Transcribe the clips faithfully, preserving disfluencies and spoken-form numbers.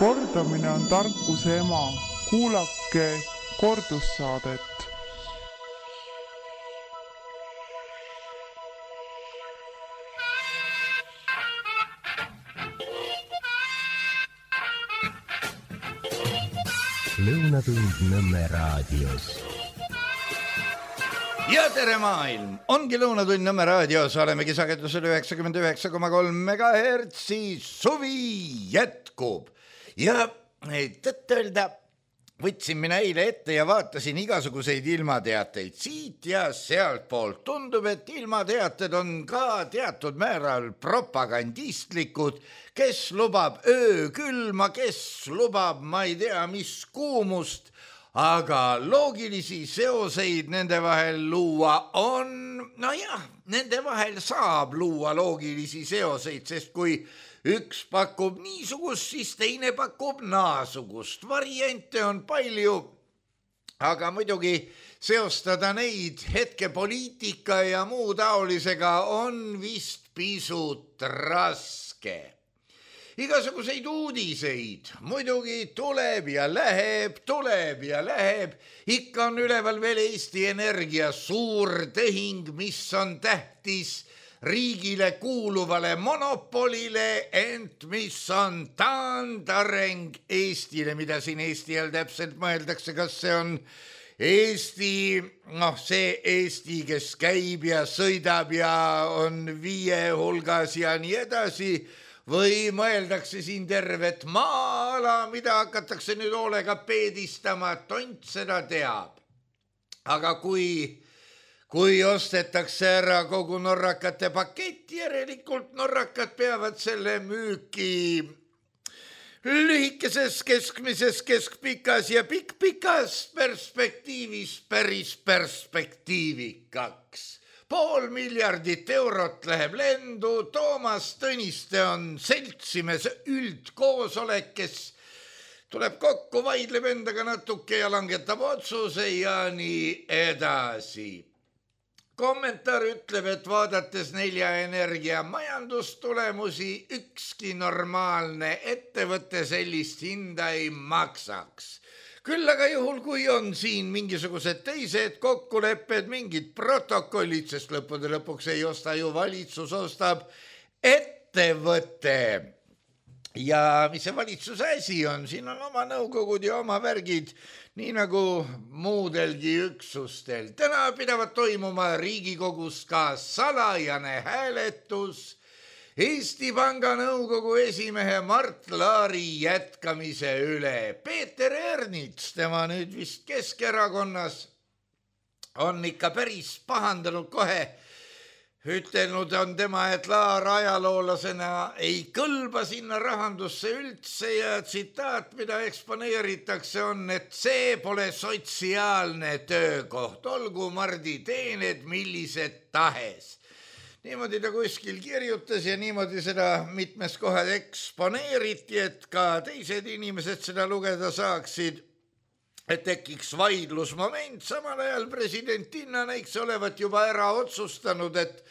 Kordamine on tarkuse ema. Kuulake kordussaadet. Lõunatund Nõmme raadios. Ja tere maailm! Ongi Lõunatund Nõmme raadios. Olemegi sagedusel üheksakümmend üheksa koma kolm megahertsi. Suvi jätkub. Ja tõtt-öelda võtsin mina eile ette ja vaatasin igasuguseid ilmateateid siit ja sealt poolt. Tundub, et ilmateated on ka teatud määral propagandistlikud, kes lubab öökülma, kes lubab ma ei tea mis kuumust, aga loogilisi seoseid nende vahel luua on, no jah, nende vahel saab luua loogilisi seoseid, sest kui üks pakub niisugust, siis teine pakub naasugust. Variante on palju, aga muidugi seostada neid hetkepoliitika ja muu taolisega on vist pisut raske. Igasuguseid uudiseid muidugi tuleb ja läheb, tuleb ja läheb. Ikka on üleval veel Eesti Energia suur tehing, mis on tähtis riigile kuuluvale monopolile, ent mis on taandareng Eestile, mida siin Eesti all täpselt mõeldakse, kas see on Eesti, noh see Eesti, kes käib ja sõidab ja on viie hulgas ja nii edasi, või mõeldakse siin tervet maa-ala, mida hakatakse nüüd hoolega peedistama, tont seda teab. Aga kui Kui ostetakse ära kogu norrakate pakett, järelikult norrakad peavad selle müüki lühikeses, keskmises, keskpikas ja pikk-pikas perspektiivis päris perspektiivikaks. Pool miljardit eurot läheb lendu, Toomas Tõniste on seltsimees üldkoosolek, kes tuleb kokku, vaidleb endaga natuke ja langetab otsuse ja nii edasi. Kommentaar ütleb, et vaadates Nelja Energia majandustulemusi, ükski normaalne ettevõte sellist hinda ei maksaks. Küll aga juhul, kui on siin mingisugused teised kokkulepped, mingid protokollid, sest lõppude lõpuks ei osta ju valitsus, ostab ettevõte. Ja mis see valitsuse asi on? Siin on oma nõukogud ja oma värgid, nii nagu muudelgi üksustel. Täna pidavat toimuma Riigikogus ka salajane hääletus Eesti Panga nõukogu esimehe Mart Laari jätkamise üle. Peeter Ernits, tema nüüd vist Keskerakonnas, on ikka päris pahandanud kohe. Ütelnud on tema, et Laar ajaloolasena ei kõlba sinna rahandusse üldse ja tsitaat, mida eksponeeritakse, on, et see pole sotsiaalne töökoht, olgu Mardi teened millised tahes. Niimoodi ta kuskil kirjutas ja niimoodi seda mitmes kohad eksponeeriti, et ka teised inimesed seda lugeda saaksid. Et tekiks vaidlusmoment, samal ajal presidentinna näiks olevat juba ära otsustanud, et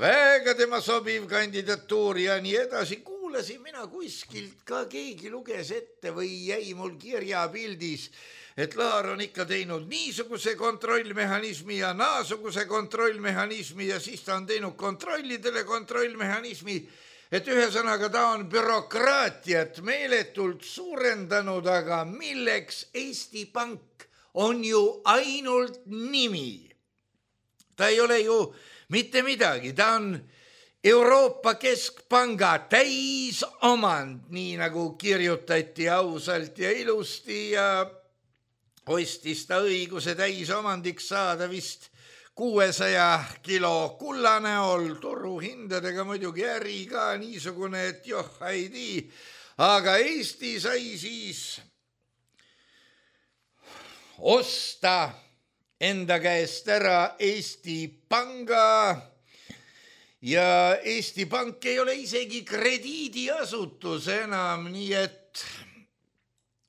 väga tema sobiv kandidatuur ja nii edasi. Kuulasin mina kuskilt, ka keegi luges ette või jäi mul kirjapildis, et Laar on ikka teinud niisuguse kontrollmehhanismi ja naasuguse kontrollmehhanismi ja siis ta on teinud kontrollidele kontrollmehhanismi, et ühesõnaga ta on bürokraatiat meeletult suurendanud, aga milleks Eesti Pank on ju ainult nimi. Ta ei ole ju mitte midagi, ta on Euroopa Keskpanga täisomand, nii nagu kirjutati ausalt ja ilusti ja ostis ta õiguse täisomandiks saada vist kuuesaja kilo kulla näol, turuhindadega muidugi äri ka niisugune, et joh, ei tii. Aga Eesti sai siis osta enda käest ära Eesti Panga ja Eesti Pank ei ole isegi krediidiasutus enam, nii et,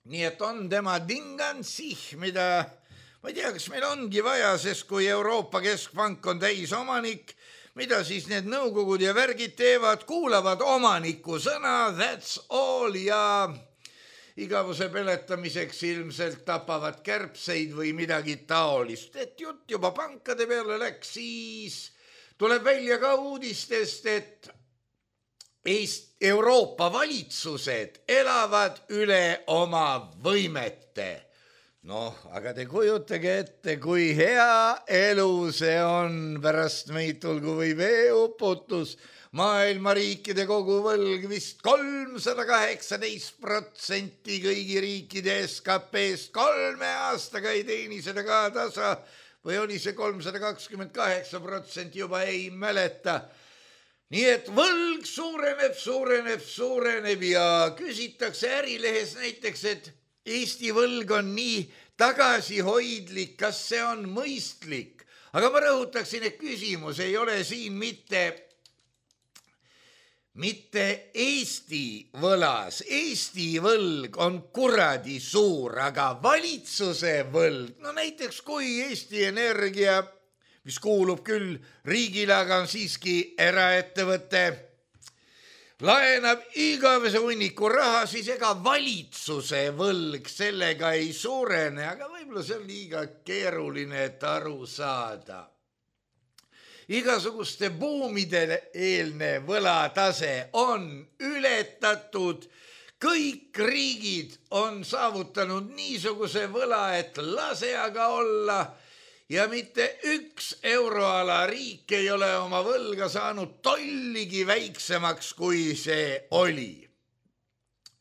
nii et on tema dingansih, mida ma ei tea, kas meil ongi vaja, sest kui Euroopa Keskpank on täisomanik, mida siis need nõukogud ja värgid teevad, kuulavad omaniku sõna, that's all, ja igavuse peletamiseks ilmselt tapavad kärbseid või midagi taolist. Et jutt juba pankade peale läks, siis tuleb välja ka uudistest, et Eest, Euroopa valitsused elavad üle oma võimete. Noh, aga te kujutage ette, kui hea elu see on, pärast meid tulgu või veeuputus. Maailma riikide koguvõlg vist kolmsada kaheksateist protsenti kõigi riikide S K P-st, kolme aastaga ei teeni seda ka tasa või oli see kolmsada kakskümmend kaheksa protsenti, juba ei mäleta. Nii et võlg suureneb, suureneb, suureneb ja küsitakse Ärilehes näiteks, et Eesti võlg on nii tagasihoidlik, kas see on mõistlik? Aga ma rõhutaksin, et küsimus ei ole siin mitte, mitte Eesti võlas. Eesti võlg on kuradi suur, aga valitsuse võlg, no näiteks kui Eesti Energia, mis kuulub küll riigile, aga on siiski eraettevõte, laenab igavese hunniku raha, siis ega valitsuse võlg sellega ei suurene, aga võib-olla see on liiga keeruline, et aru saada. Igasuguste buumide eelne võlatase on ületatud, kõik riigid on saavutanud niisuguse võla, et lase aga olla, ja mitte üks euroala riik ei ole oma võlga saanud tolligi väiksemaks, kui see oli.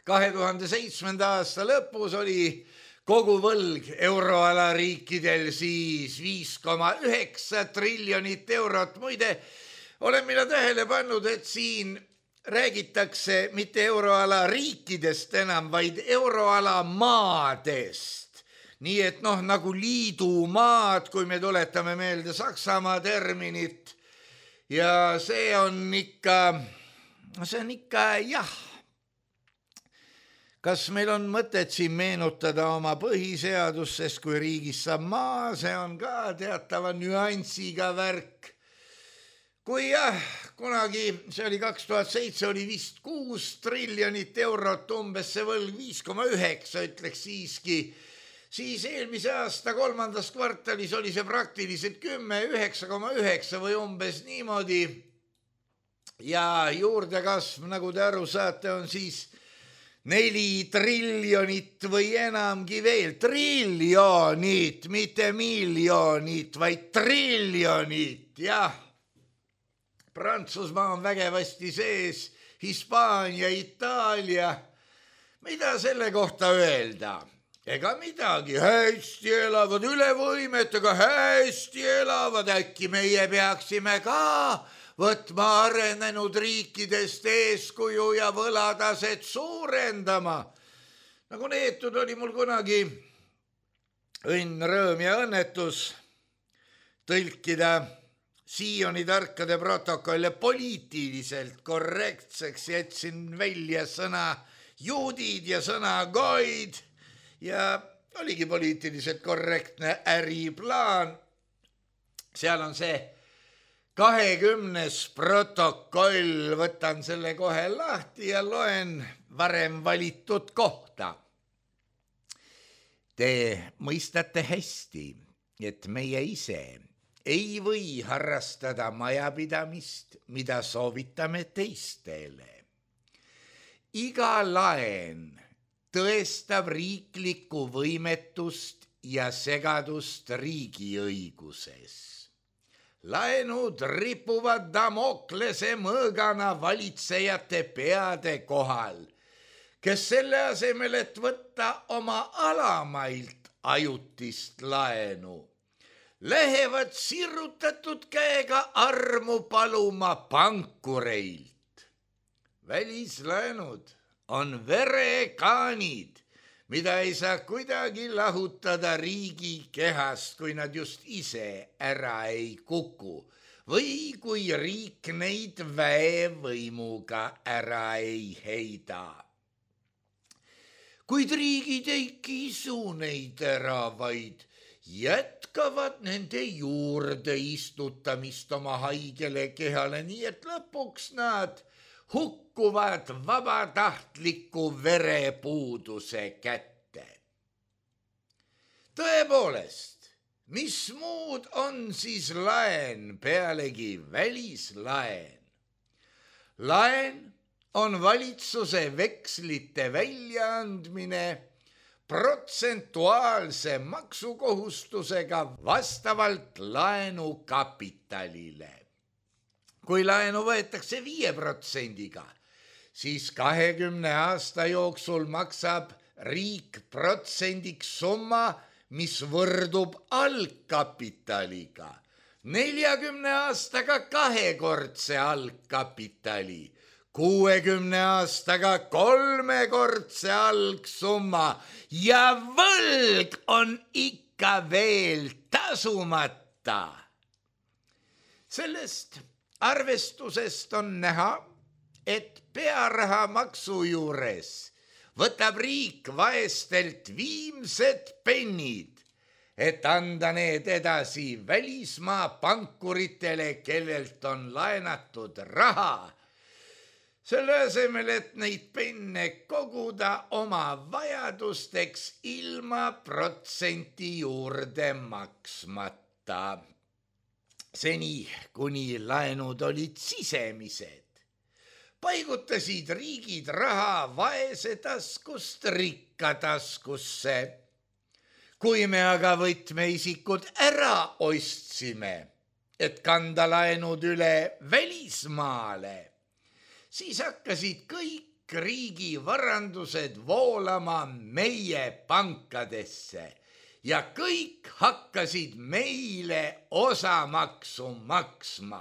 kahe tuhande seitsmenda aasta lõpus oli kogu võlg euroala riikidel siis viis koma üheksa triljonit eurot. Muide, olen mina tähele pannud, et siin räägitakse mitte euroala riikidest enam, vaid euroala maadest. Nii et noh, nagu liidumaad, kui me tuletame meelde Saksamaa terminit, ja see on ikka, see on ikka jah. Kas meil on mõtet siin meenutada oma põhiseadust, sest kui riigis saab maa, see on ka teatava nüansiga värk. Kui jah, kunagi, see oli kaks tuhat seitse, oli vist kuus triljonit eurot, umbes see võlg viis koma üheksa, ütleks siiski, siis eelmise aasta kolmandas kvartalis oli see praktiliselt kümme, üheksa koma üheksa või umbes niimoodi. Ja juurdekasv, nagu te aru saate, on siis neli triljonit või enamgi veel. Triljonit, mitte miljonit, vaid triljonit, jah. Prantsusmaa on vägevasti sees, Hispaania, Itaalia. Mida selle kohta öelda? Ega midagi, hästi elavad üle võimetega, hästi elavad, äkki meie peaksime ka võtma arenenud riikidest eeskuju ja võlataset suurendama. Nagu neetud oli mul kunagi õnn, rõõm ja õnnetus tõlkida Sioni tarkade protokolle poliitiliselt korrektseks, jätsin välja sõna juudid ja sõna goid, ja oligi poliitiliselt korrektne äriplaan. Seal on see kahekümnes protokoll, võtan selle kohe lahti ja loen varem valitud kohta. Te mõistate hästi, et meie ise ei või harrastada majapidamist, mida soovitame teistele. Iga laen tõestab riiklikku võimetust ja segadust riigiõiguses. Laenud ripuvad Damoklese mõõgana valitsejate peade kohal, kes selle asemel, et võtta oma alamailt ajutist laenu, lähevad sirutatud käega armu paluma pankureilt. Välislaenud on verekaanid, mida ei saa kuidagi lahutada riigi kehast, kui nad just ise ära ei kuku või kui riik neid väevõimuga ära ei heida. Kuid riigid ei kisu neid ära, vaid jätkavad nende juurde istutamist oma haigele kehale, nii et lõpuks nad hukkuvad vabatahtliku verepuuduse kätte. Tõepoolest, mis muud on siis laen pealegi välislaen? Laen on valitsuse vekslite väljaandmine protsentuaalse maksukohustusega vastavalt laenukapitalile. Kui laenu võetakse viie protsendiga, siis kahekümne aasta jooksul maksab riik protsendiks summa, mis võrdub algkapitaliga. neljakümne aastaga kahekordse algkapitali, kuuekümne aastaga kolmekordse algsumma ja võlg on ikka veel tasumata. Sellest arvestusest on näha, et pearahamaksu juures võtab riik vaestelt viimsed pennid, et anda need edasi välismaa pankuritele, kellelt on laenatud raha. Selle asemel, et neid penne koguda oma vajadusteks ilma protsenti juurde maksmata. Seni, kuni laenud olid sisemised, paigutasid riigid raha vaese taskust rikka taskusse. Kui me aga võtmeisikud ära ostsime, et kanda laenud üle välismaale, siis hakkasid kõik riigi varandused voolama meie pankadesse ja kõik hakkasid meile osamaksu maksma.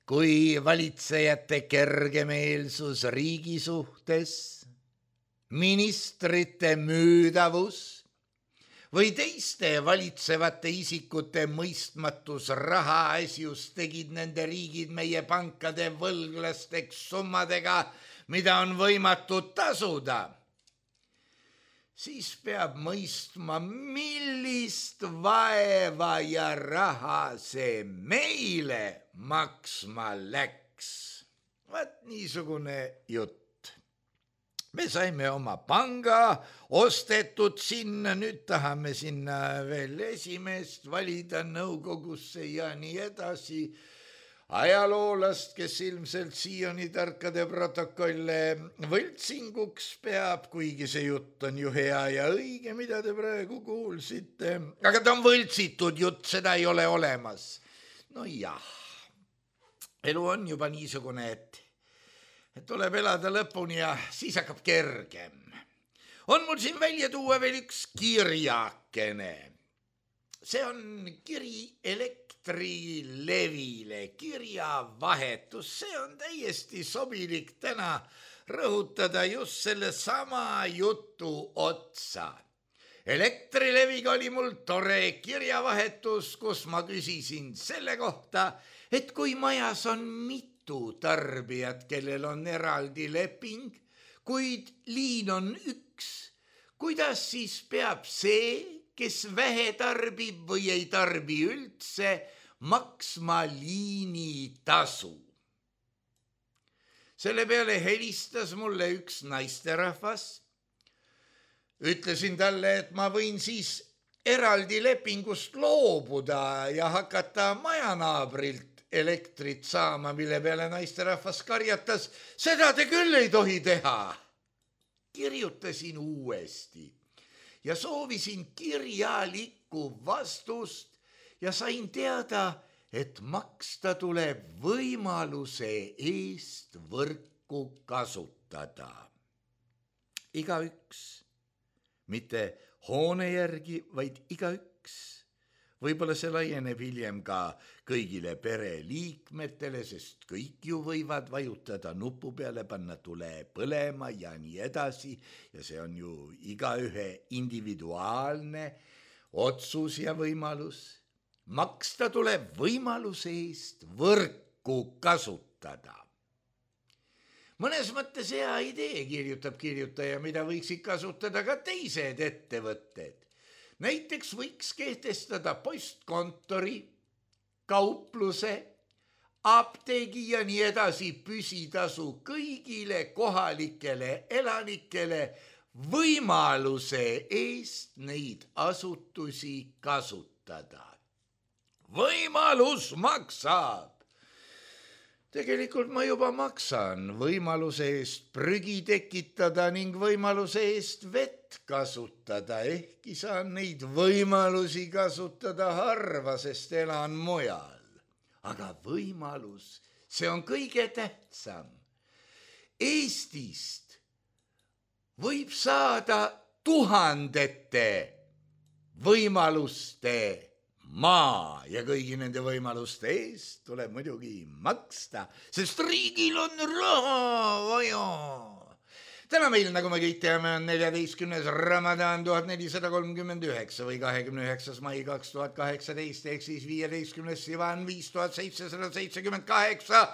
Kui valitsejate kergemeelsus riigi suhtes, ministrite müüdavus või teiste valitsevate isikute mõistmatus rahaasjus tegid nende riigid meie pankade võlglasteks summadega, mida on võimatu tasuda, siis peab mõistma, millist vaeva ja raha see meile maksma läks. Vaat niisugune jutt. Me saime oma panga ostetud sinna, nüüd tahame sinna veel esimeest valida nõukogusse ja nii edasi. Ajaloolast, kes ilmselt siiani tarkade protokolle võltsinguks peab, kuigi see jutt on ju hea ja õige, mida te praegu kuulsite. Aga ta on võltsitud jutt, seda ei ole olemas. No jah, elu on juba niisugune, et et tuleb elada lõpuni ja siis hakkab kergem. On mul siin välja tuua veel üks kirjakene. See on kiri Elektrilevile, kirjavahetus. See on täiesti sobilik täna rõhutada just selle sama jutu otsa. Elektrileviga oli mul tore kirjavahetus, kus ma küsisin selle kohta, et kui majas on mitu tarbijad, kellel on eraldi leping, kuid liin on üks, kuidas siis peab see, kes vähe tarbib või ei tarbi üldse, maksma liinitasu? Selle peale helistas mulle üks naisterahvas. Ütlesin talle, et ma võin siis eraldi lepingust loobuda ja hakata majanaabrilt elektrit saama, mille peale naisterahvas karjatas, seda te küll ei tohi teha. Kirjutasin uuesti ja soovisin kirjalikku vastust ja sain teada, et maksta tuleb võimaluse eest võrku kasutada. Igaüks, mitte hoone järgi, vaid igaüks. Võib-olla see laieneb hiljem ka kõigile pereliikmetele, sest kõik ju võivad vajutada nupu peale, panna tule põlema ja nii edasi. Ja see on ju igaühe individuaalne otsus ja võimalus. Maksta tuleb võimaluse eest võrku kasutada. Mõnes mõttes hea idee, kirjutab kirjutaja, mida võiksid kasutada ka teised ettevõtted. Näiteks võiks kehtestada postkontori, kaupluse, apteegi ja nii edasi püsitasu kõigile kohalikele elanikele võimaluse eest neid asutusi kasutada. Võimalus maksab. Tegelikult ma juba maksan võimaluse eest prügi tekitada ning võimaluse eest vett kasutada, ehkki saan neid võimalusi kasutada harva, sest elan mujal. Aga võimalus, see on kõige tähtsam. Eestist võib saada tuhandete võimaluste maa ja kõigi nende võimaluste eest tuleb muidugi maksta, sest riigil on raha vaja. Täna meil, nagu me kõik teame, on neljateistkümnes Ramadan tuhat nelisada kolmkümmend üheksa või kahekümne üheksas mai kaks tuhat kaheksateist ehk siis viieteistkümnes Sivan viis tuhat seitsesada seitsekümmend kaheksa,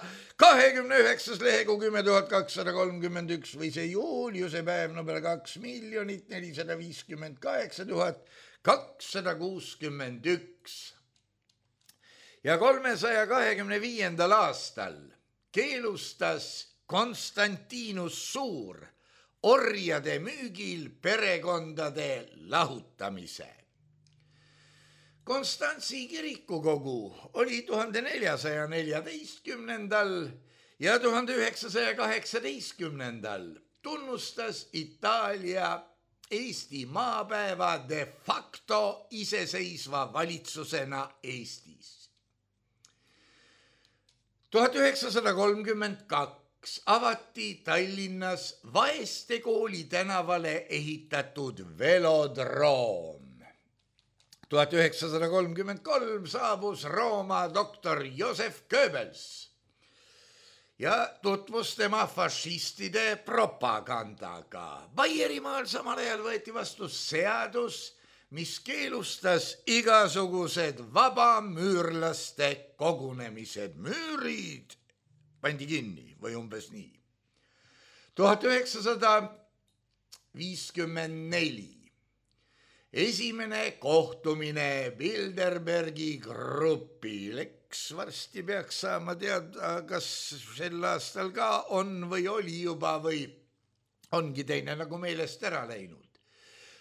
kahekümne üheksas lehegu kümme tuhat kakssada kolmkümmend üks või see Juliuse päev number kaks miljonit nelisada viiskümmend kaheksa tuhat kakssada kuuskümmend üks. Ja kolmesaja kahekümne viiendal aastal keelustas Konstantinus Suur orjade müügil perekondade lahutamise. Konstantsi kirikukogu oli tuhande neljasaja neljateistkümnendal ja tuhande üheksasaja kaheksateistkümnendal tunnustas Itaalia Eesti maapäeva de facto iseseisva valitsusena Eestis. tuhat üheksasada kolmkümmend kaks avati Tallinnas Vaeste kooli tänavale ehitatud velodroom. tuhat üheksasada kolmkümmend kolm saabus Rooma doktor Josef Goebbels ja tutvus tema fašistide propagandaga. Baierimaal samal ajal võeti vastu seadus, mis keelustas igasugused vabamüürlaste kogunemised. Müürid pandi kinni või umbes nii. tuhat üheksasada viiskümmend neli. Esimene kohtumine Bilderbergi grupil. Eks varsti peaks saama teada, kas sel aastal ka on või oli juba või ongi teine nagu meelest ära läinud.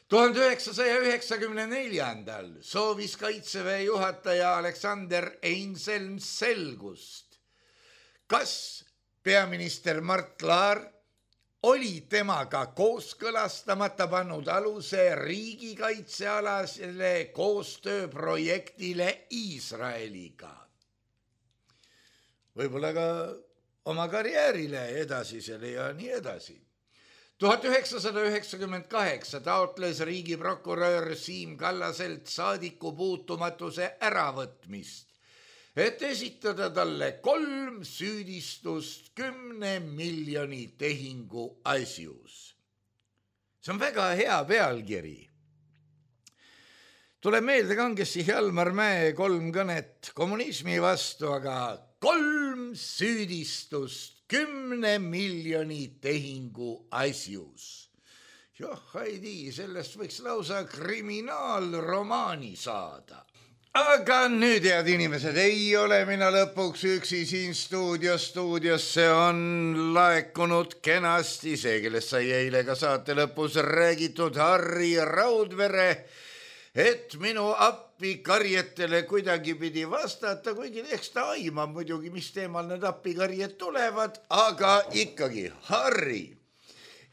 tuhande üheksasaja üheksakümne neljandal soovis Kaitseväe juhataja Aleksander Einselm selgust, kas peaminister Mart Laar oli temaga kooskõlastamata pannud aluse riigikaitsealasele koostööprojektile Iisraeliga. Võib-olla ka oma karjäärile edasisele ja nii edasi. tuhat üheksasada üheksakümmend kaheksa taotles riigiprokurör Siim Kallaselt saadiku puutumatuse äravõtmist, et esitada talle kolm süüdistust kümne miljoni tehingu asjus. See on väga hea pealkiri. Tuleb meelde kangesti Hjalmar Mäe kolm kõnet kommunismi vastu, aga kolm süüdistust kümne miljoni tehingu asjus. Joh, Heidi, sellest võiks lausa kriminaalromaani saada. Aga nüüd, head inimesed, ei ole mina lõpuks üksi siin stuudios. Stuudiosse on laekunud kenasti see, kellest sai eile ka saate lõpus räägitud, Harri Raudvere, et minu appi karjetele kuidagi pidi vastata, kuigi eks ta aimab muidugi, mis teemal need appikarjed tulevad, aga ikkagi, Harri,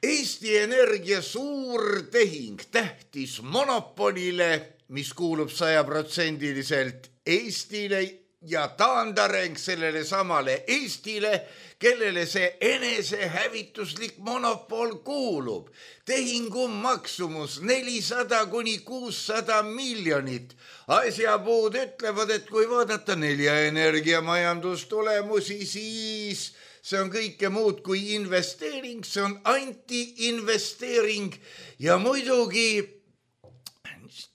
Eesti Energia suur tehing tähtis monopolile, mis kuulub sajaprotsendiliselt Eestile ja taandareng sellele samale Eestile, kellele see enesehävituslik monopol kuulub. Tehingu maksumus nelisada kuni kuussada miljonit. Asjapuud ütlevad, et kui vaadata Nelja Energia majandustulemusi, siis see on kõike muud kui investeering, see on anti-investeering ja muidugi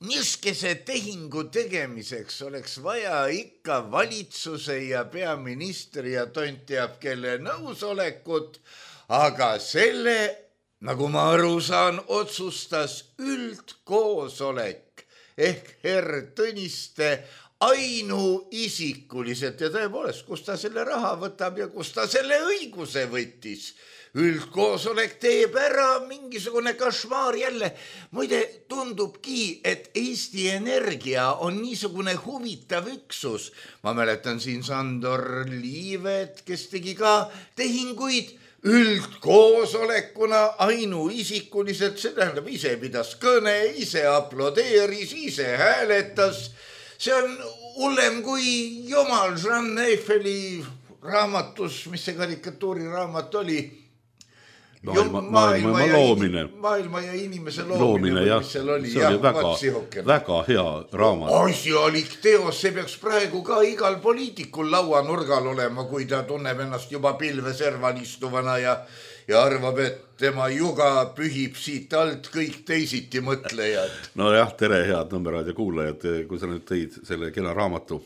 niiskese tehingu tegemiseks oleks vaja ikka valitsuse ja peaministri ja tont teab kelle nõusolekut, aga selle, nagu ma aru saan, otsustas üldkoosolek ehk herr Tõniste ainuisikuliselt ja tõepoolest, kus ta selle raha võtab ja kus ta selle õiguse võttis. Üldkoosolek teeb ära mingisugune kašmaar jälle. Muide, tundubki, et Eesti Energia on niisugune huvitav üksus. Ma mäletan siin Sandor Liivet, kes tegi ka tehinguid üldkoosolekuna ainuisikuliselt, see tähendab ise pidas kõne, ise aplodeeris, ise hääletas. See on hullem kui Jumal Jean Eiffeli raamatus, mis see karikatuuri raamat oli. Maailma, maailma, maailma loomine. Maailma ja inimese loomine, loomine jah. See oli jah, väga, väga hea raamat. Asjalik teos, see peaks praegu ka igal poliitikul lauanurgal olema, kui ta tunneb ennast juba pilveserval istuvana ja, ja arvab, et tema juga pühib siit alt kõik teisiti mõtlejad. No jah, tere head Nõmmeraadio kuulajad, kui sa nüüd tõid selle kena raamatu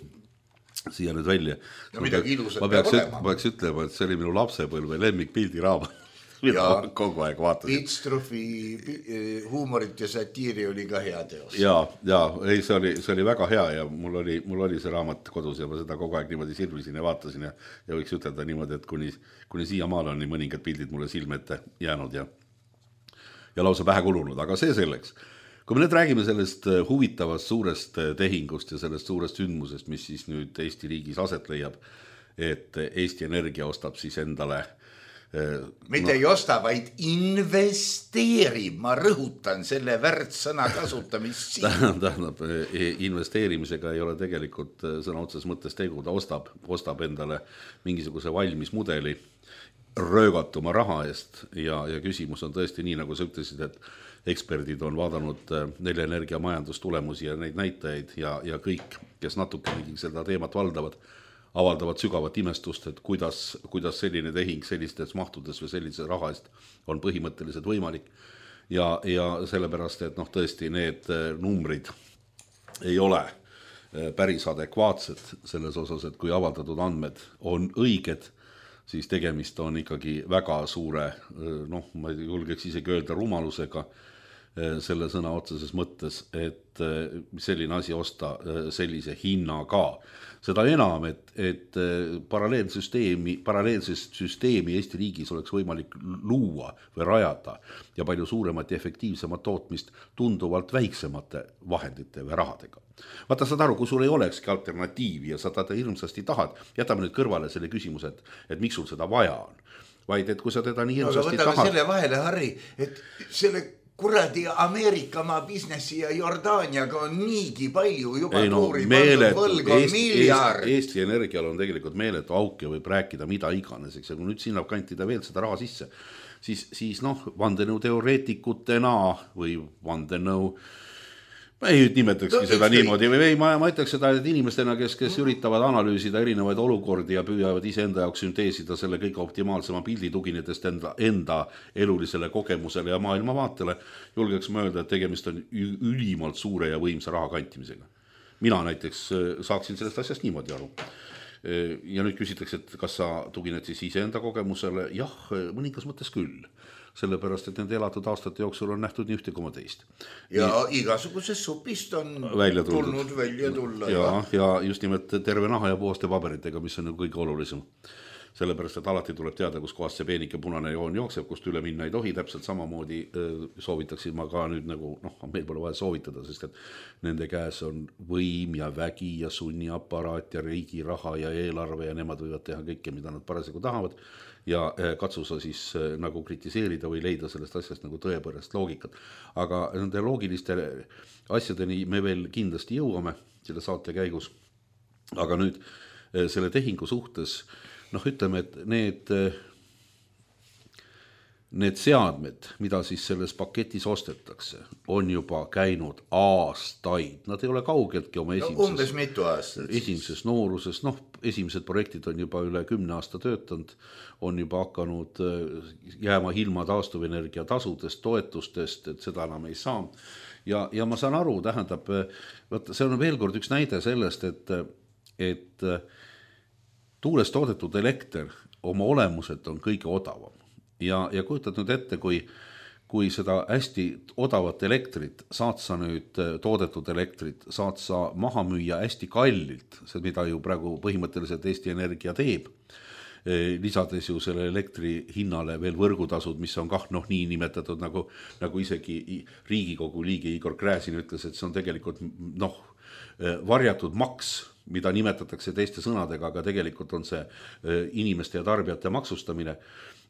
siia nüüd välja. Ja midagi ilusat ma peaks, peaks, peaks ütlema, et see oli minu lapsepõlve lemmikpildi raamat. Ja kogu aeg vaatasin. Pitstrufi huumorit ja satiiri oli ka hea teos. Ja, ja ei, see, oli, see oli väga hea ja mul oli, mul oli see raamat kodus ja ma seda kogu aeg niimoodi sirvisin ja vaatasin ja, ja võiks ütelda niimoodi, et kuni, kuni siia maal on nii mõningad pildid mulle silme ette jäänud ja, ja lausa pähe kulunud, aga see selleks. Kui me nüüd räägime sellest huvitavast suurest tehingust ja sellest suurest sündmusest, mis siis nüüd Eesti riigis aset leiab, et Eesti Energia ostab siis endale mitte no. ei osta, vaid investeerib. Ma rõhutan selle väärtsõna kasutamist siin. Tähendab, investeerimisega ei ole tegelikult sõna otses mõttes tegu. Ta ostab, ostab endale mingisuguse valmis mudeli röögatuma raha eest ja, ja küsimus on tõesti nii, nagu sa ütlesid, et eksperdid on vaadanud Neli Energia majandustulemusi ja neid näitajaid ja, ja kõik, kes natuke seda teemat valdavad, avaldavad sügavat imestust, et kuidas, kuidas selline tehing sellistes mahtudes või sellise raha eest on põhimõtteliselt võimalik. Ja, ja sellepärast, et noh, tõesti need numbrid ei ole päris adekvaatsed selles osas, et kui avaldatud andmed on õiged, siis tegemist on ikkagi väga suure, noh, ma ei julgeks isegi öelda rumalusega selle sõna otseses mõttes, et selline asi osta sellise hinnaga. Seda enam, et, et paralleelsüsteemi, paralleelsest süsteemi Eesti riigis oleks võimalik luua või rajada ja palju suuremat ja efektiivsemat tootmist tunduvalt väiksemate vahendite või rahadega. Vaata, saad aru, kui sul ei olekski alternatiivi ja sa teda hirmsasti tahad, jätame nüüd kõrvale selle küsimuse, et, et miks sul seda vaja on. Vaid, et kui sa teda nii hirmsasti no, tahad... selle vahele, Harri, et selle kuradi Ameerika maa businessi ja Jordaaniaga on niigi palju juba ei, no, tuuri meeletu, võlg on Eesti, miljard. Eesti, Eesti Energial on tegelikult meeletu auk ja võib rääkida mida iganes, eks, ja kui nüüd sinna kantida veel seda raha sisse, siis, siis noh, vandenõu teoreetikutena või vandenõu, ma ei nimetakski no, seda niimoodi, või ei, ma, ma ütleks seda, et inimestena, kes, kes üritavad analüüsida erinevaid olukordi ja püüavad ise enda jaoks sünteesida selle kõige optimaalsema pildi tuginetest enda, enda elulisele kogemusele ja maailmavaatele, julgeks ma öelda, et tegemist on ülimalt suure ja võimsa raha kantimisega. Mina näiteks saaksin sellest asjast niimoodi aru. Ja nüüd küsitakse, et kas sa tugined siis ise enda kogemusele? Jah, mõningas mõttes küll. Sellepärast, et nende elatud aastate jooksul on nähtud nii ühte koma teist. Ja nii, igasugusest supist on välja tulnud välja tulla. Ja, ja just nimelt terve naha ja puhaste paberitega, mis on kõige olulisem. Sellepärast, et alati tuleb teada, kus kohast see peenike punane joon jookseb, kust üle minna ei tohi. Täpselt samamoodi soovitaksin ma ka nüüd nagu, noh, meil pole vaja soovitada, sest et nende käes on võim ja vägi ja sunniaparaat ja riigi raha ja eelarve ja nemad võivad teha kõike, mida nad parasjagu tahavad. Ja katsu sa siis nagu kritiseerida või leida sellest asjast nagu tõepärast loogikat. Aga nende loogiliste asjadeni me veel kindlasti jõuame selle saate käigus. Aga nüüd selle tehingu suhtes, noh ütleme, et need, need seadmed, mida siis selles paketis ostetakse, on juba käinud aastaid. Nad ei ole kaugeltki oma esimeses, no, umbes mitu aastat. Esimeses nooruses, noh, esimesed projektid on juba üle kümne aasta töötanud, on juba hakanud jääma ilma taastuvenergia tasudest, toetustest, et seda enam ei saa. Ja, ja ma saan aru, tähendab, võtta, see on veel kord üks näide sellest, et, et tuulest toodetud elekter oma olemuselt on kõige odavam. Ja, ja kujutad nüüd ette, kui, kui seda hästi odavat elektrit saad sa nüüd toodetud elektrit, saad sa maha müüa hästi kallilt, see mida ju praegu põhimõtteliselt Eesti Energia teeb, lisades ju selle elektri hinnale veel võrgutasud, mis on kah noh nii nimetatud, nagu, nagu isegi Riigikogu liige Igor Gräzin ütles, et see on tegelikult noh, varjatud maks, mida nimetatakse teiste sõnadega, aga tegelikult on see inimeste ja tarbijate maksustamine.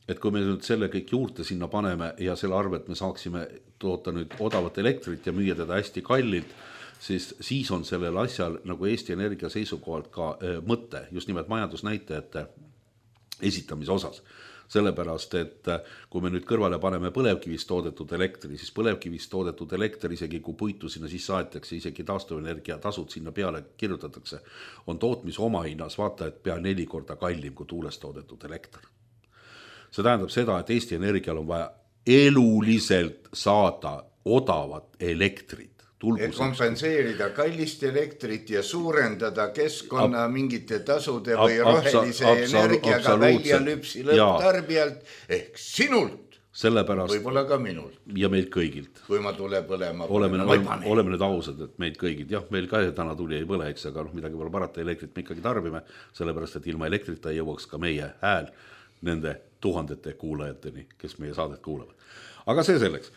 Et kui me nüüd selle kõik juurde sinna paneme ja selle arvet me saaksime toota nüüd odavat elektrit ja müüa teda hästi kallilt, siis, siis on sellel asjal nagu Eesti Energia seisukohalt ka mõte, just nimelt majandusnäitajate esitamise osas. Sellepärast, et kui me nüüd kõrvale paneme põlevkivist toodetud elektri, siis põlevkivist toodetud elektri, isegi kui puitu sinna sisse aetakse, isegi taastuvenergia tasud sinna peale kirjutatakse, on tootmise omahinnas vaata, et pea neli korda kallim kui tuulest toodetud elekter. See tähendab seda, et Eesti Energial on vaja eluliselt saada odavat elektrit. Et kompenseerida kallist elektrit ja suurendada keskkonna Ab, mingite tasude või rohelise energiaga välja lüpsi lõpptarbijalt ehk sinult. Sellepärast, võib-olla ka minult. Ja meilt kõigilt. Kui ma tule põlema. Oleme, oleme, oleme nüüd ausad, et meilt kõigilt. Jah, meil ka täna tuli ei põle, eks, aga noh, midagi pole parata, elektrit me ikkagi tarbime, sellepärast, et ilma elektrita ei jõuaks ka meie hääl nende tuhandete kuulajateni, kes meie saadet kuulavad. Aga see selleks.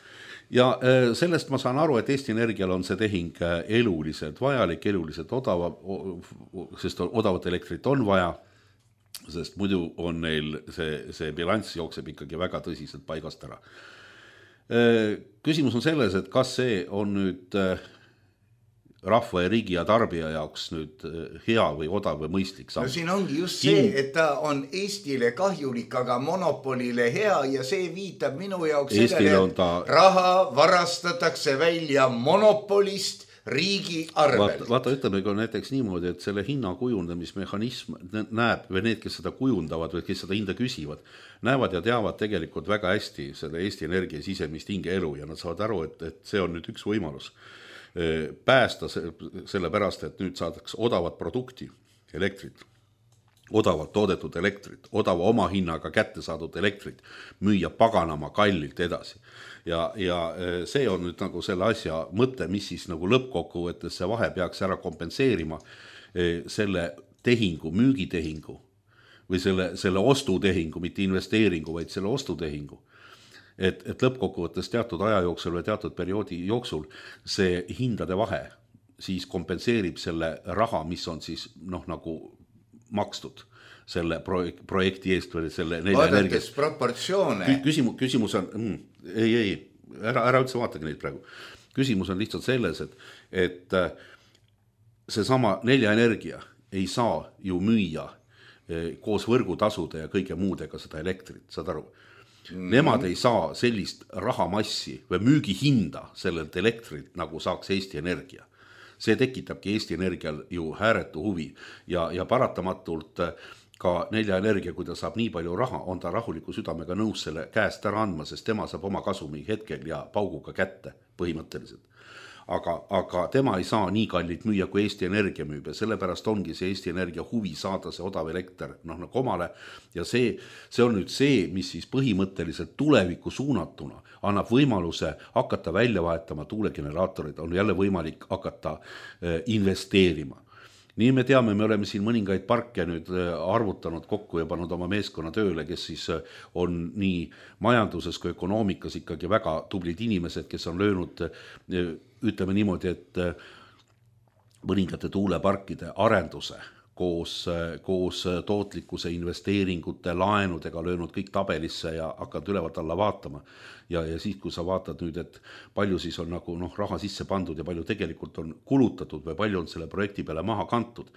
Ja sellest ma saan aru, et Eesti Energial on see tehing eluliselt vajalik, eluliselt odava, sest odavat elektrit on vaja, sest muidu on neil see, see bilanss jookseb ikkagi väga tõsiselt paigast ära. Küsimus on selles, et kas see on nüüd rahva ja riigi ja tarbija jaoks nüüd hea või odav või mõistlik samm. No siin ongi just see, et ta on Eestile kahjulik, aga monopolile hea ja see viitab minu jaoks sellele, et ta... raha varastatakse välja monopolist riigi arvel. Vaata, vaata ütleme ka näiteks niimoodi, et selle hinna kujundamismehhanism näeb, või need, kes seda kujundavad või kes seda hinda küsivad, näevad ja teavad tegelikult väga hästi selle Eesti Energia sisemist hingeelu ja nad saavad aru, et, et see on nüüd üks võimalus päästa selle pärast, et nüüd saadaks odavat produkti, elektrit, odavalt toodetud elektrit, odava oma hinnaga kätte saadud elektrit, müüa paganama kallilt edasi. Ja, ja see on nüüd nagu selle asja mõte, mis siis nagu lõppkokkuvõttes see vahe peaks ära kompenseerima selle tehingu, müügitehingu või selle, selle ostutehingu, mitte investeeringu, vaid selle ostutehingu. Et, et lõppkokkuvõttes teatud aja jooksul või teatud perioodi jooksul see hindade vahe siis kompenseerib selle raha, mis on siis noh nagu makstud selle projekti eest või selle nelja energia. Vaadates proportsioone. Küsimus, küsimus on, mm, ei, ei, ära, ära üldse vaatagi neid praegu. Küsimus on lihtsalt selles, et, et see sama nelja energia ei saa ju müüa koos võrgutasude ja kõige muudega seda elektrit, saad aru? Nemad ei saa sellist rahamassi või müügihinda sellelt elektrilt, nagu saaks Eesti Energia. See tekitabki Eesti Energial ju hääretu huvi ja, ja paratamatult ka nelja energia, kui ta saab nii palju raha, on ta rahuliku südamega nõus selle käest ära andma, sest tema saab oma kasumi hetkel ja pauguga kätte põhimõtteliselt. Aga, aga tema ei saa nii kallit müüa, kui Eesti Energia müüb ja sellepärast ongi see Eesti Energia huvi saada see odav elekter noh, nagu omale ja see, see on nüüd see, mis siis põhimõtteliselt tuleviku suunatuna annab võimaluse hakata välja vahetama tuulegeneraatorid, on jälle võimalik hakata investeerima. Nii me teame, me oleme siin mõningaid parke nüüd arvutanud kokku ja pannud oma meeskonna tööle, kes siis on nii majanduses kui ökonoomikas ikkagi väga tublid inimesed, kes on löönud, ütleme niimoodi, et mõningate tuuleparkide arenduse koos, koos tootlikkuse investeeringute, laenudega löönud kõik tabelisse ja hakkad ülevalt alla vaatama. Ja, ja siis, kui sa vaatad nüüd, et palju siis on nagu noh, raha sisse pandud ja palju tegelikult on kulutatud või palju on selle projekti peale maha kantud,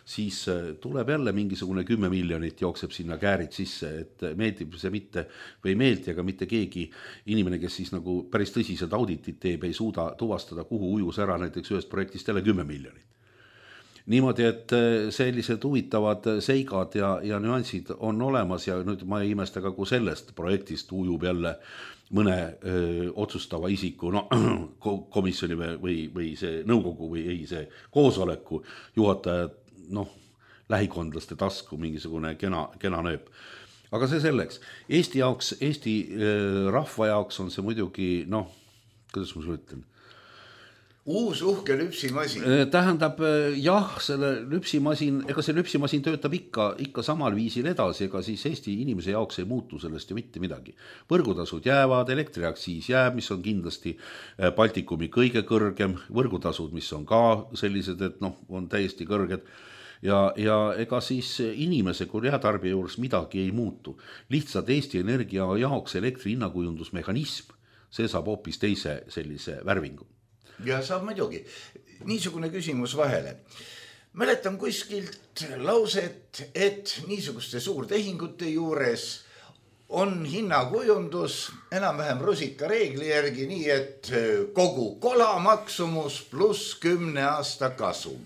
siis tuleb jälle mingisugune kümme miljonit jookseb sinna käärid sisse, et meeldib see mitte või meeldi, aga mitte keegi inimene, kes siis nagu päris tõsiselt auditit teeb, ei suuda tuvastada, kuhu ujus ära näiteks ühest projektist jälle kümme miljonit. Niimoodi, et sellised huvitavad seigad ja, ja nüansid on olemas ja nüüd ma ei imesta ka, kui sellest projektist ujub jälle mõne öö, otsustava isiku no, komisjoni või, või see nõukogu või ei, see koosoleku juhataja noh, lähikondlaste tasku mingisugune kena, kena nööp. aga see selleks. Eesti jaoks, Eesti rahva jaoks on see muidugi, noh, kuidas ma sulle ütlen? Uus uhke lüpsimasin. Tähendab, jah, selle lüpsimasin, ega see lüpsimasin töötab ikka, ikka samal viisil edasi, ega siis Eesti inimese jaoks ei muutu sellest ju mitte midagi. Võrgutasud jäävad, elektriaktsiis jääb, mis on kindlasti Baltikumi kõige kõrgem, võrgutasud, mis on ka sellised, et noh, on täiesti kõrged. Ja, ja ega siis inimese kui reatarbija juures midagi ei muutu. Lihtsalt Eesti Energia jaoks elektri hinnakujundusmehhanism, see saab hoopis teise sellise värvingu. Ja saab muidugi. Niisugune küsimus vahele. Mäletan kuskilt lauset, et niisuguste suurtehingute juures on hinnakujundus enam-vähem rusika reegli järgi, nii et kogu kola maksumus pluss kümne aasta kasum.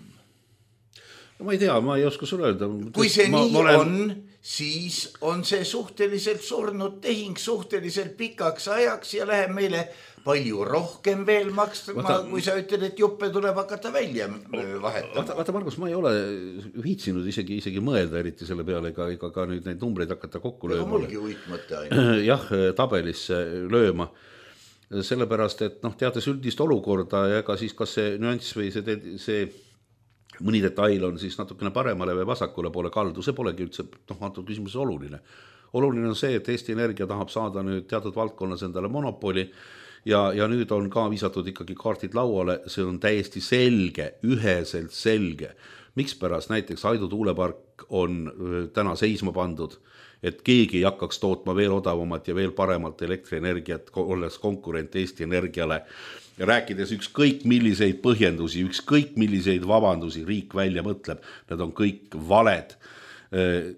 No ma ei tea, ma ei oska sulle öelda. Kui see ma, nii ma olen... on, siis on see suhteliselt surnud tehing suhteliselt pikaks ajaks ja läheb meile palju rohkem veel makstama, vaata, kui sa ütled, et juppe tuleb hakata välja vahetama. Vaata, vaata Margus, ma ei ole viitsinud isegi, isegi mõelda eriti selle peale, ega, ega ka nüüd neid numbreid hakata kokku lööma. Ega mulgi uitmõte ainult. Jah, tabelisse lööma. Sellepärast, et noh, teades üldist olukorda ja ega siis kas see nüanss või see, see mõni detail on siis natukene paremale või vasakule poole kaldu, see polegi üldse noh, antud küsimuses oluline. Oluline on see, et Eesti Energia tahab saada nüüd teatud valdkonnas endale monopoli ja, ja nüüd on ka viisatud ikkagi kaartid lauale, see on täiesti selge, üheselt selge. Miks pärast näiteks Aidu tuulepark on täna seisma pandud, et keegi ei hakkaks tootma veel odavamat ja veel paremat elektrienergiat, olles konkurent Eesti Energiale, ja rääkides ükskõik milliseid põhjendusi, ükskõik milliseid vabandusi riik välja mõtleb, need on kõik valed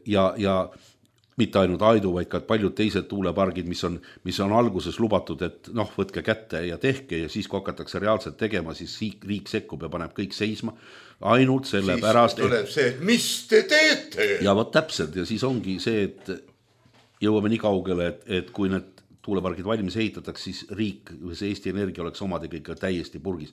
ja, ja mitte ainult Aidu, vaid ka paljud teised tuulepargid, mis on, mis on alguses lubatud, et noh, võtke kätte ja tehke ja siis kui hakatakse reaalselt tegema, siis riik, riik sekkub ja paneb kõik seisma ainult selle siis pärast. Siis tuleb see, et mis te teete? Ja võt täpselt ja siis ongi see, et jõuame nii kaugele, et, et kui need tuulepargid valmis ehitatakse, siis riik, see Eesti Energia oleks omadega ikka täiesti purgis.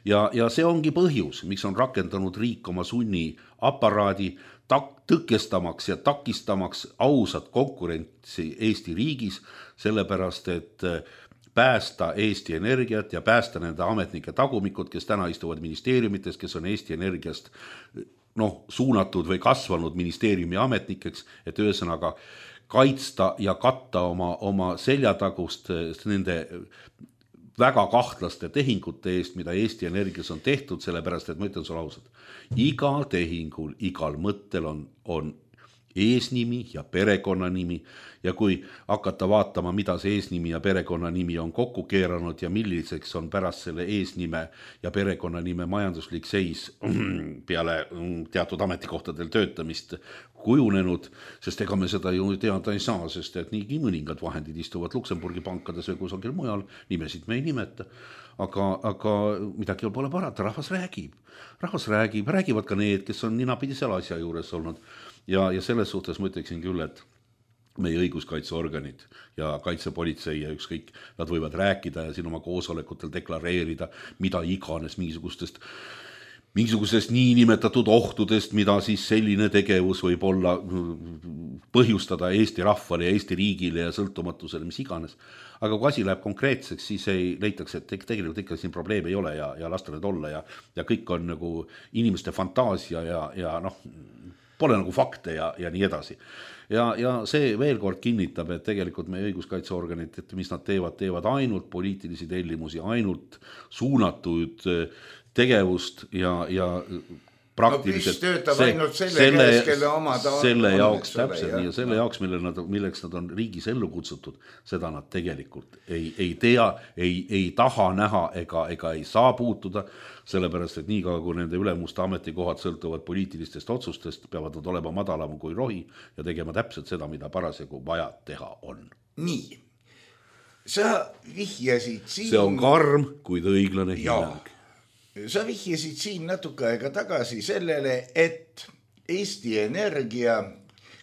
Ja, ja see ongi põhjus, miks on rakendanud riik oma sunni aparaadi tak, tõkestamaks ja takistamaks ausat konkurentsi Eesti riigis, sellepärast, et päästa Eesti Energiat ja päästa nende ametnike tagumikud, kes täna istuvad ministeeriumites, kes on Eesti Energiast noh, suunatud või kasvanud ministeeriumi ametnikeks, et ühesõnaga kaitsta ja katta oma, oma seljatagust nende väga kahtlaste tehingute eest, mida Eesti Energias on tehtud, sellepärast, et ma ütlen sulle ausalt, igal tehingul, igal mõttel on, on eesnimi ja perekonnanimi ja kui hakata vaatama, mida see eesnimi ja perekonnanimi on kokku keeranud ja milliseks on pärast selle eesnime ja perekonnanime majanduslik seis peale teatud ametikohtadel töötamist kujunenud, sest ega me seda ju teada ei saa, sest et nii mõningad vahendid istuvad Luksemburgi pankades või kusagil mujal, nimesid me ei nimeta, aga, aga midagi pole parata, rahvas räägib, rahvas räägib, räägivad ka need, kes on ninapidi seal asja juures olnud ja, ja selles suhtes ma ütleksin küll, et meie õiguskaitseorganid ja kaitsepolitsei ja ükskõik, nad võivad rääkida ja siin oma koosolekutel deklareerida, mida iganes mingisugustest mingisugusest niinimetatud ohtudest, mida siis selline tegevus võib olla põhjustada Eesti rahvale ja Eesti riigile ja sõltumatusele, mis iganes. Aga kui asi läheb konkreetseks, siis ei leitakse, et tegelikult ikka siin probleeme ei ole ja, ja lasta need olla ja, ja kõik on nagu inimeste fantaasia ja, ja noh, pole nagu fakte ja, ja nii edasi. Ja, ja see veel kord kinnitab, et tegelikult meie õiguskaitseorganid, et mis nad teevad, teevad ainult poliitilisi tellimusi, ainult suunatud tegevust ja, ja praktiliselt no, töötab see, ainult selle, selle, käes, kelle omad on, selle on, jaoks ole, täpselt ja, nii ja selle ja. jaoks, mille nad, milleks nad on riigis ellu kutsutud, seda nad tegelikult ei, ei tea, ei, ei taha näha ega, ega ei saa puutuda, sellepärast, et nii kaua, kui nende ülemuste ametikohad sõltuvad poliitilistest otsustest, peavad nad olema madalam kui rohi ja tegema täpselt seda, mida parasjagu vaja teha on. Nii, sa vihjasid siin... See on karm, kuid õiglane hinnang. Sa vihjasid siin natuke aega tagasi sellele, et Eesti Energia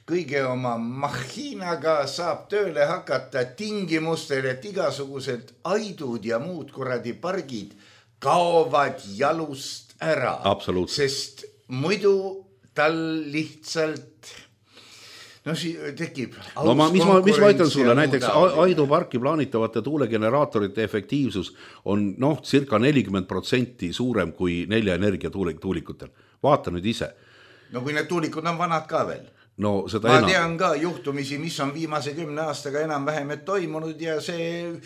kõige oma mahinaga saab tööle hakata tingimustel, et igasugused Aidud ja muud kuradi pargid kaovad jalust ära. Absoluutselt. Sest muidu tal lihtsalt no siis tekib no ma, mis, ma, mis ma ütlen sulle, näiteks Aidu parki plaanitavate tuulegeneraatorite efektiivsus on noh, circa nelikümmend protsenti suurem kui nelja energia tuulikutel. Vaata nüüd ise. No kui need tuulikud on vanad ka veel. No, seda ma enam. tean ka juhtumisi, mis on viimase kümne aastaga enam vähemet toimunud ja see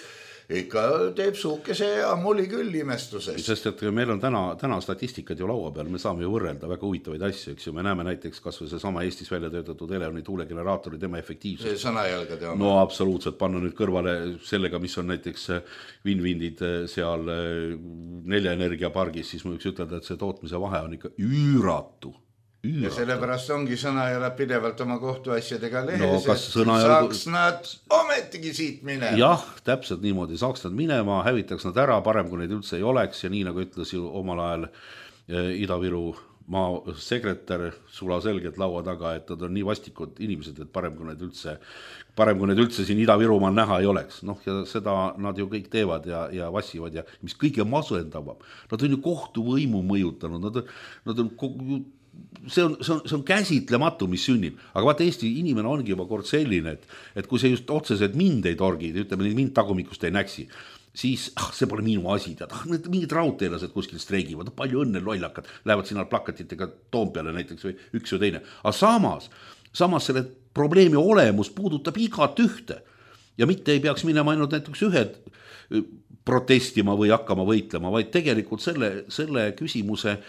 ikka teeb suukese ammuli küll imestusest. Sest et meil on täna, täna statistikad ju laua peal, me saame ju võrrelda väga huvitavaid asju, eks ju, me näeme näiteks kas või see sama Eestis välja töötatud Elevani tuulegeneraatori, tema efektiivsus. See sõnajalgade oma. No absoluutselt, panna nüüd kõrvale sellega, mis on näiteks Winwindid seal nelja energiapargis, siis ma võiks ütelda, et see tootmise vahe on ikka üüratu. Üüratu. Ja sellepärast ongi sõnajala pidevalt oma kohtuasjadega lehes, no, kas et sõnajal... saaks nad ometigi siit minema. Jah, täpselt niimoodi, saaks nad minema, hävitaks nad ära, parem kui neid üldse ei oleks ja nii nagu ütles ju omal ajal Ida-Viru maa sekretär sula selgelt laua taga, et nad on nii vastikud inimesed, et parem kui neid üldse, parem kui neid üldse siin Ida-Virumaal näha ei oleks. Noh, ja seda nad ju kõik teevad ja, ja vassivad ja mis kõige masendavam. Nad on ju kohtuvõimu mõjutanud, nad on, nad on kogu, See on, see, on, see on käsitlematu, mis sünnib. Aga vaata, Eesti inimene ongi juba kord selline, et, et kui see just otseselt mind ei torgi, ütleme, mind tagumikust ei näksi, siis ah, see pole minu asi, tead, ah, mingid raudteelased kuskil streigivad, palju õnne lollakad, lähevad sinna plakatitega Toompeale näiteks või üks või teine. Aga samas, samas selle probleemi olemus puudutab igat ühte ja mitte ei peaks minema ainult näiteks ühed protestima või hakkama võitlema, vaid tegelikult selle, selle küsimuse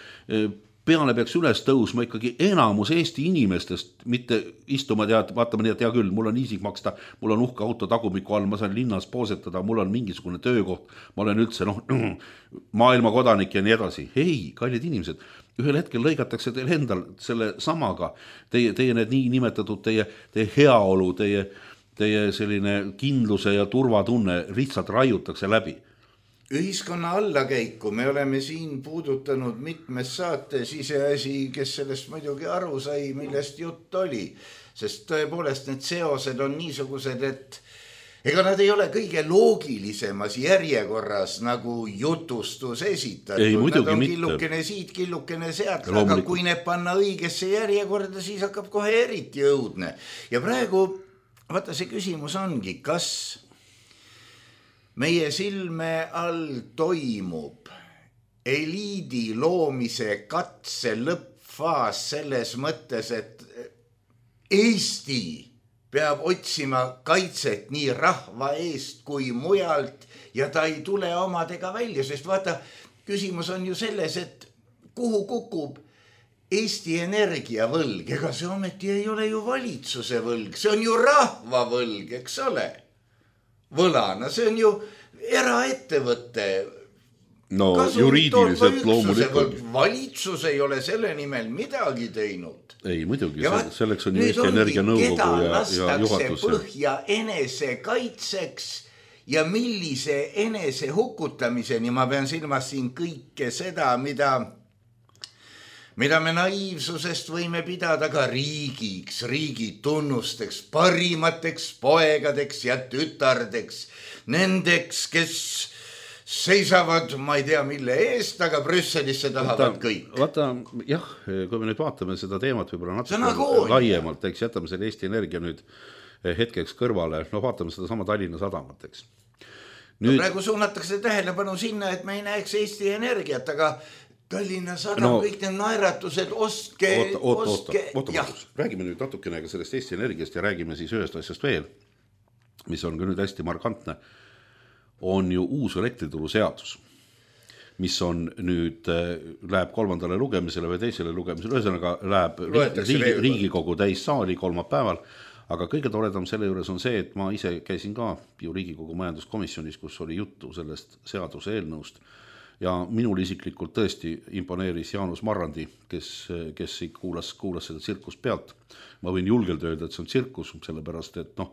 peale peaks üles tõusma ikkagi enamus Eesti inimestest, mitte istuma tead, vaatame nii, et hea küll, mul on isik maksta, mul on uhke auto tagumiku all, ma saan linnas poosetada, mul on mingisugune töökoht, ma olen üldse noh, maailma kodanik ja nii edasi. Ei, kallid inimesed, ühel hetkel lõigatakse teil endal selle samaga, teie, teie need nii nimetatud, teie, teie heaolu, teie, teie selline kindluse ja turvatunne lihtsalt raiutakse läbi. Ühiskonna allakäiku me oleme siin puudutanud mitmes saates, iseasi, kes sellest muidugi aru sai, millest jutt oli. Sest tõepoolest need seosed on niisugused, et ega nad ei ole kõige loogilisemas järjekorras nagu jutustus esitatud. Ei, nad on mitte. killukene siit, killukene sealt, aga kui need panna õigesse järjekorda, siis hakkab kohe eriti õudne. Ja praegu, vaata see küsimus ongi, kas meie silme all toimub eliidi loomise katse lõppfaas selles mõttes, et Eesti peab otsima kaitset nii rahva eest kui mujalt ja ta ei tule omadega välja, sest vaata, küsimus on ju selles, et kuhu kukub Eesti Energia võlg, ega see ometi ei ole ju valitsuse võlg, see on ju rahva võlg, eks ole? Võlana, see on ju eraettevõtte. No juriidiliselt loomulikult. Valitsus ei ole selle nimel midagi teinud. Ei, muidugi, ja selleks on ju Eesti Energia nõukogu ja, ja juhatus. Põhja enese kaitseks ja millise enese hukutamiseni, ma pean silmas siin kõike seda, mida... mida me naiivsusest võime pidada ka riigiks, riigi tunnusteks, parimateks poegadeks ja tütardeks, nendeks, kes seisavad, ma ei tea mille eest, aga Brüsselisse tahavad vaata, kõik. Vaata, jah, kui me nüüd vaatame seda teemat võib-olla natuke laiemalt, eks jätame selle Eesti Energia nüüd hetkeks kõrvale, no vaatame seda sama Tallinna Sadamat, eks. Nüüd... No praegu suunatakse tähelepanu sinna, et me ei näeks Eesti Energiat, aga Tallinna Sadam, no, kõik need naeratused, ostke, oota, oota, ostke. Oota, oota, räägime nüüd natukene sellest Eesti Energiast ja räägime siis ühest asjast veel, mis on ka nüüd hästi markantne, on ju uus elektrituru seadus, mis on nüüd, läheb kolmandale lugemisele või teisele lugemisele, ühesõnaga läheb riigi, Riigikogu täissaali kolmapäeval, aga kõige toredam selle juures on see, et ma ise käisin ka ju Riigikogu majanduskomisjonis, kus oli juttu sellest seaduse eelnõust, ja minul isiklikult tõesti imponeeris Jaanus Marrandi, kes, kes kuulas, kuulas seda tsirkust pealt. Ma võin julgelt öelda, et see on tsirkus, sellepärast, et noh,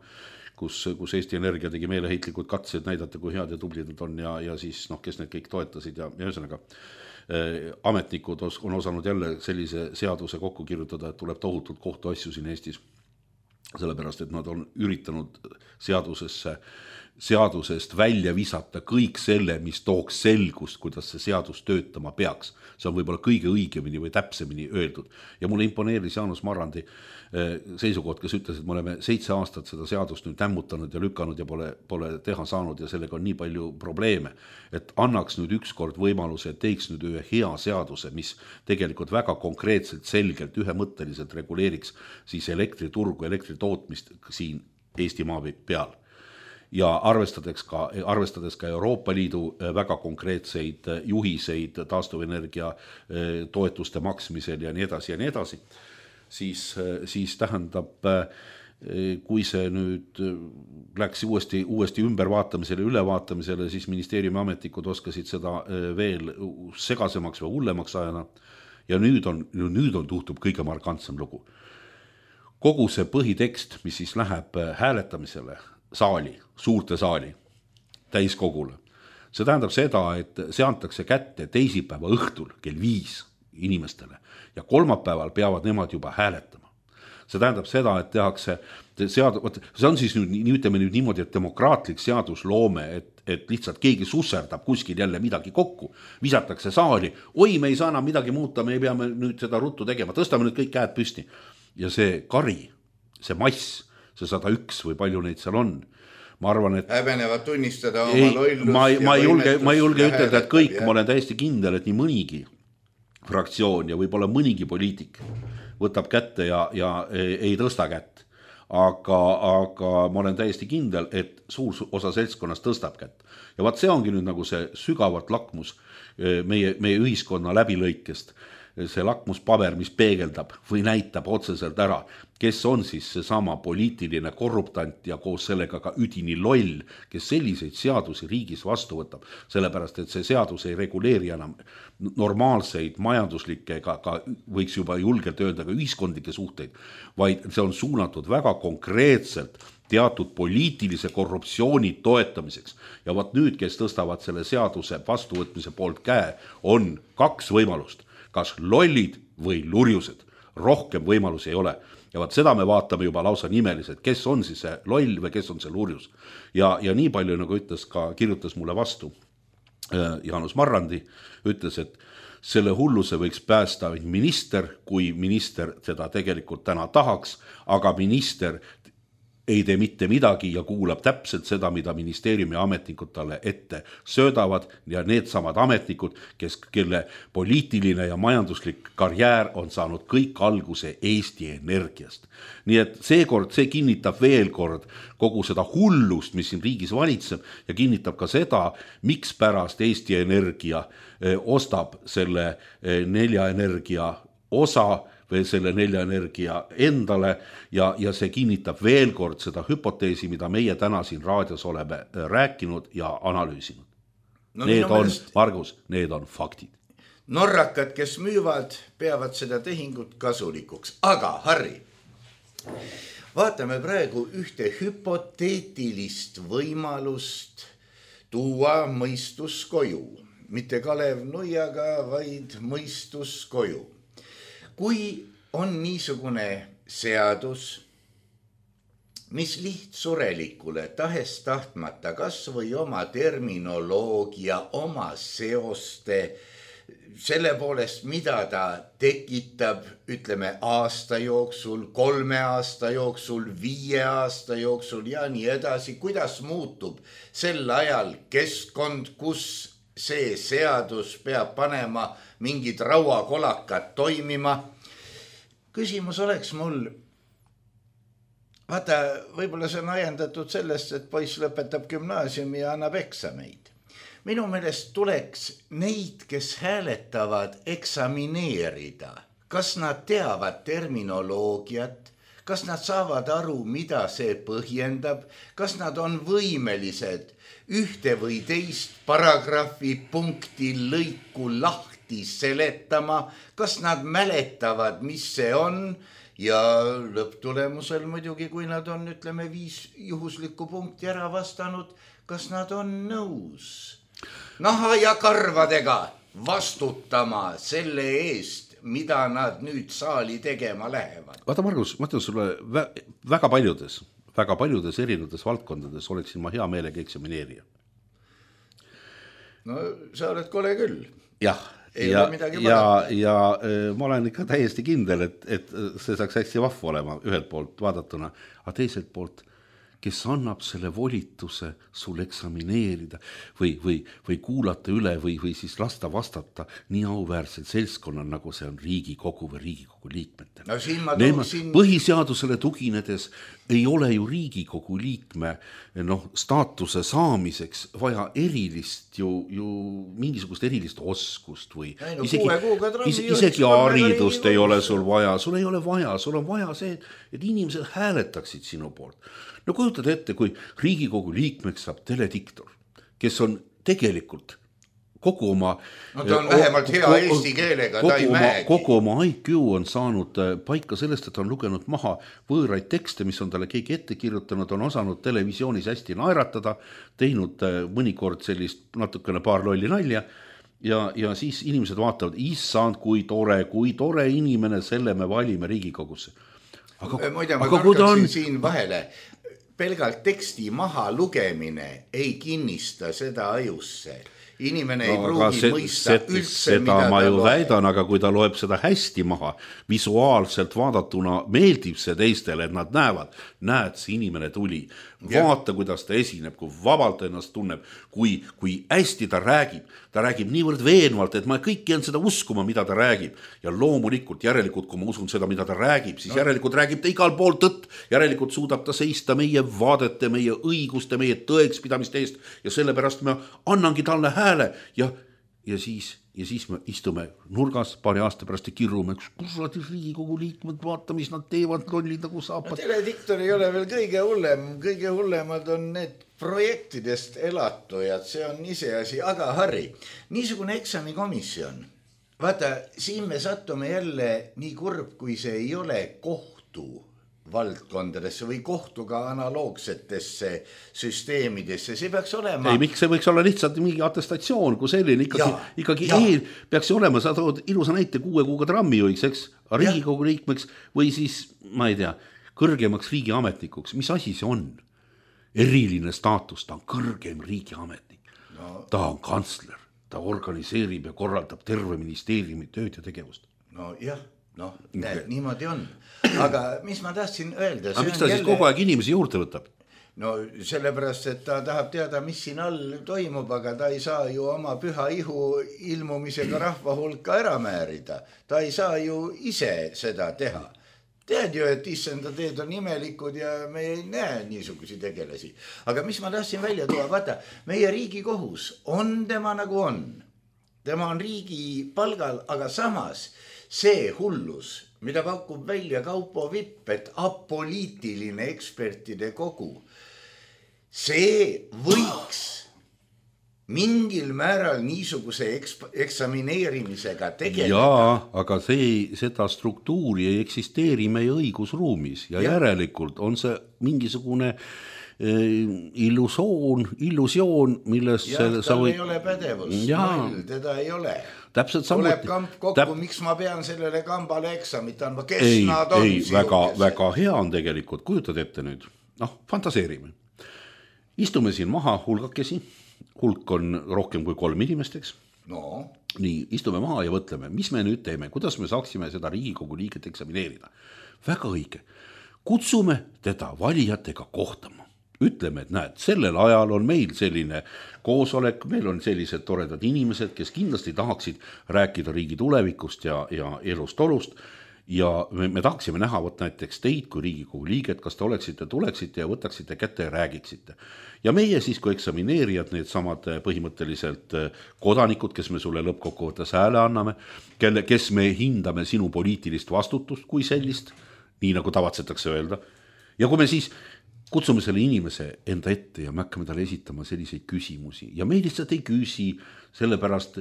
kus, kus Eesti Energia tegi meeleheitlikud katsed näidata, kui head ja tublid nad on ja, ja siis noh, kes need kõik toetasid ja, ja ühesõnaga eh, ametnikud on osanud jälle sellise seaduse kokku kirjutada, et tuleb tohutult kohtuasju siin Eestis, sellepärast, et nad on üritanud seadusesse seadusest välja visata kõik selle, mis tooks selgust, kuidas see seadus töötama peaks. See on võib-olla kõige õigemini või täpsemini öeldud. Ja mulle imponeeris Jaanus Marrandi seisukoht, kes ütles, et me oleme seitse aastat seda seadust nüüd tämmutanud ja lükanud ja pole, pole teha saanud ja sellega on nii palju probleeme, et annaks nüüd ükskord võimaluse, et teiks nüüd ühe hea seaduse, mis tegelikult väga konkreetselt, selgelt, ühemõtteliselt reguleeriks siis elektriturgu, elektritootmist siin Eesti maa peal. Ja arvestades ka, arvestades ka Euroopa Liidu väga konkreetseid juhiseid taastuvenergia toetuste maksmisel ja nii edasi ja nii edasi, siis, siis tähendab, kui see nüüd läks uuesti, uuesti ümbervaatamisele, ülevaatamisele, siis ministeeriumi ametnikud oskasid seda veel segasemaks või hullemaks ajana. Ja nüüd on, nüüd on tuhtub kõige markantsem lugu. Kogu see põhitekst, mis siis läheb hääletamisele, saali, suurte saali, täiskogule. See tähendab seda, et see antakse kätte teisipäeva õhtul kell viis inimestele ja kolmapäeval peavad nemad juba hääletama. See tähendab seda, et tehakse, sead, see on siis nüüd, ütleme nüüd niimoodi, et demokraatlik seadusloome, et, et lihtsalt keegi susserdab kuskil jälle midagi kokku, visatakse saali, oi, me ei saa enam midagi muuta, me ei peame nüüd seda ruttu tegema, tõstame nüüd kõik käed püsti. Ja see kari, see mass, see sada üks või palju neid seal on. Ma arvan, et häbenevad tunnistada oma ei, lollust ma, ma, ei julge, ma ei julge ütelda, et kõik, ja. Ma olen täiesti kindel, et nii mõnigi fraktsioon ja võib-olla mõnigi poliitik võtab kätte ja, ja ei tõsta kätt. Aga, aga ma olen täiesti kindel, et suur osa seltskonnast tõstab kätt. Ja vaat see ongi nüüd nagu see sügavat lakmus meie, meie ühiskonna läbilõikest. See lakmuspaber, mis peegeldab või näitab otseselt ära, kes on siis see sama poliitiline korruptant ja koos sellega ka üdini loll, kes selliseid seadusi riigis vastu võtab, sellepärast et see seadus ei reguleeri enam normaalseid majanduslikke, ka, ka võiks juba julgelt öelda ka ühiskondlikke suhteid, vaid see on suunatud väga konkreetselt teatud poliitilise korruptsiooni toetamiseks. Ja vaat nüüd, kes tõstavad selle seaduse vastuvõtmise poolt käe, on kaks võimalust. Kas lollid või lurjused. Rohkem võimalusi ei ole. Ja vaat seda me vaatame juba lausa nimeliselt, kes on siis see loll või kes on see lurjus. Ja, ja nii palju, nagu ütles ka, kirjutas mulle vastu Jaanus Marrandi, ütles, et selle hulluse võiks päästa minister, kui minister seda tegelikult täna tahaks, aga minister ei tee mitte midagi ja kuulab täpselt seda, mida ministeeriumi ametnikud talle ette söödavad ja need samad ametnikud, kes, kelle poliitiline ja majanduslik karjäär on saanud kõik alguse Eesti Energiast. Nii et seekord see kinnitab veel kord kogu seda hullust, mis siin riigis valitseb ja kinnitab ka seda, miks pärast Eesti Energia ostab selle nelja energia osa või selle nelja energia endale ja, ja see kinnitab veel kord seda hüpoteesi, mida meie täna siin raadios oleme rääkinud ja analüüsinud. No, need on, meelest... Margus, need on faktid. Norrakad, kes müüvad, peavad seda tehingut kasulikuks. Aga, Harri, vaatame praegu ühte hüpoteetilist võimalust tuua mõistus koju. Mitte Kalev Nuiaga, vaid mõistus koju. Kui on niisugune seadus, mis lihtsurelikule tahes tahtmata kas või oma terminoloogia, oma seoste, selle poolest, mida ta tekitab, ütleme aasta jooksul, kolme aasta jooksul, viie aasta jooksul ja nii edasi, kuidas muutub sel ajal keskkond, kus see seadus peab panema mingid rauakolakad toimima. Küsimus oleks mul, vaata, võib-olla see on ajendatud sellest, et poiss lõpetab gümnaasiumi ja annab eksameid. Minu meelest tuleks neid, kes hääletavad, eksamineerida. Kas nad teavad terminoloogiat? Kas nad saavad aru, mida see põhjendab? Kas nad on võimelised ühte või teist paragrahvi punkti lõiku lahti seletama? Kas nad mäletavad, mis see on? Ja lõpptulemusel muidugi, kui nad on, ütleme, viis juhuslikku punkti ära vastanud, kas nad on nõus naha ja karvadega vastutama selle eest, mida nad nüüd saali tegema lähevad? Vaata, Margus, ma ütlen sulle väga paljudes, väga paljudes erinevates valdkondades oleksin ma hea meelega eksamineerija. No sa oled kole küll. Jah, ja, ja, ja ma olen ikka täiesti kindel, et, et see saaks hästi vahva olema ühelt poolt vaadatuna, aga teiselt poolt, kes annab selle volituse sul eksamineerida või, või, või kuulata üle või, või siis lasta vastata nii auväärsel seltskonnal, nagu see on Riigikogu või Riigikogu liikmetel. No siin ma tooksin... Põhiseadusele tuginedes ei ole ju Riigikogu liikme noh, staatuse saamiseks vaja erilist ju, ju mingisugust erilist oskust või ei, no, isegi, is, isegi haridust ei ole sul vaja, sul ei ole vaja, sul on vaja see, et inimesed hääletaksid sinu poolt. No kujutad ette, kui Riigikogu liikmeks saab telediktor, kes on tegelikult kogu oma... No ta on vähemalt hea kogu, eesti keelega, ta ei mäegi. Kogu oma I Q on saanud paika sellest, et on lugenud maha võõraid tekste, mis on talle keegi ette kirjutanud, on osanud televisioonis hästi naeratada, teinud mõnikord sellist natukene paar lolli nalja ja, ja siis inimesed vaatavad, issand, kui tore, kui tore inimene, selle me valime Riigikogusse. Aga, Muide, ma karkaksin on... siin vahele. Pelgalt teksti maha lugemine ei kinnista seda ajusse. Inimene ei no, pruugi see, mõista see, üldse, seda mida ma ju loeb. väidan, aga kui ta loeb seda hästi maha, visuaalselt vaadatuna meeldib see teistele, et nad näevad, näed, see inimene tuli. Vaata, kuidas ta esineb, kui vabalt ennast tunneb, kui, kui hästi ta räägib. Ta räägib niivõrd veenvalt, et ma kõik jään seda uskuma, mida ta räägib. Ja loomulikult, järelikult, kui ma usun seda, mida ta räägib, siis no. järelikult räägib ta igal pool tõtt. Järelikult suudab ta seista meie vaadete, meie õiguste, meie tõekspidamiste eest ja sellepärast me annangi talle hääle ja, ja, siis, ja siis me istume nurgas paari aasta pärast ja kirrume, kus on Riigikogu liikmed, vaata, mis nad teevad, lollid nagu saapad. No, telediktor ei ole veel kõige hullem, kõige hullemad on need projektidest elatujad, see on ise asi, aga Harri, niisugune eksamikomisjon, vaata, siin me sattume jälle nii kurb, kui see ei ole kohtu valdkondadesse või kohtuga analoogsetesse süsteemidesse, see peaks olema... Ei, miks see võiks olla lihtsalt mingi atestatsioon, kui selline ikkagi, ja, ikkagi eel peaks olema, sa tood ilusa näite kuue kuuga trammijuhiks, eks, Riigikogu liikmeks või siis, ma ei tea, kõrgemaks riigiametnikuks, mis asi see on? Eriline staatus, ta on kõrgem riigiametnik, no, ta on kantsler, ta organiseerib ja korraldab terve ministeeriumi tööd ja tegevust. No jah, noh, näed, niimoodi on. Aga mis ma tahtsin öelda? Aga miks ta jälle... siis kogu aeg inimesi juurde võtab? No sellepärast, et ta tahab teada, mis siin all toimub, aga ta ei saa ju oma püha ihu ilmumisega rahva hulka ära määrida. Ta ei saa ju ise seda teha. Tead ju, et issanda teed on imelikud ja me ei näe niisugusi tegelasi. Aga mis ma tahtsin välja tuua, vaata, meie Riigikohus on tema nagu on. Tema on riigi palgal, aga samas see hullus, mida pakub välja Kaupo Vipp, et apoliitiline ekspertide kogu, see võiks mingil määral niisuguse eksp- eksamineerimisega tegeleda. Jaa, aga see, seda struktuuri ei eksisteeri meie õigusruumis ja, ja. järelikult on see mingisugune eh, illusioon, illusioon, milles... Ja, tal või... ei ole pädevus, null, teda ei ole. Täpselt samuti. Tuleb kamp kokku, Täp... miks ma pean sellele kambale eksamit andma, kes ei, nad on? Ei, väga, väga hea on tegelikult, kujutad ette nüüd, noh, fantaseerime. Istume siin maha hulgakesi, hulk on rohkem kui kolm inimesteks. No. Nii, istume maha ja võtleme, mis me nüüd teeme, kuidas me saaksime seda Riigikogu liiget eksamineerida. Väga õige. Kutsume teda valijatega kohtama. Ütleme, et näed, sellel ajal on meil selline koosolek, meil on sellised toredad inimesed, kes kindlasti tahaksid rääkida riigi tulevikust ja, ja elust olust. Ja me, me tahaksime näha võt näiteks teid kui Riigikogu liiget, kas te oleksite, tuleksite ja võtaksite kätte ja räägiksite. Ja meie siis, kui eksamineerijad, need samad põhimõtteliselt kodanikud, kes me sulle lõppkokkuvõttes hääle anname, kelle, kes me hindame sinu poliitilist vastutust kui sellist, nii nagu tavatsetakse öelda. Ja kui me siis kutsume selle inimese enda ette ja me hakkame talle esitama selliseid küsimusi ja me lihtsalt ei küsi sellepärast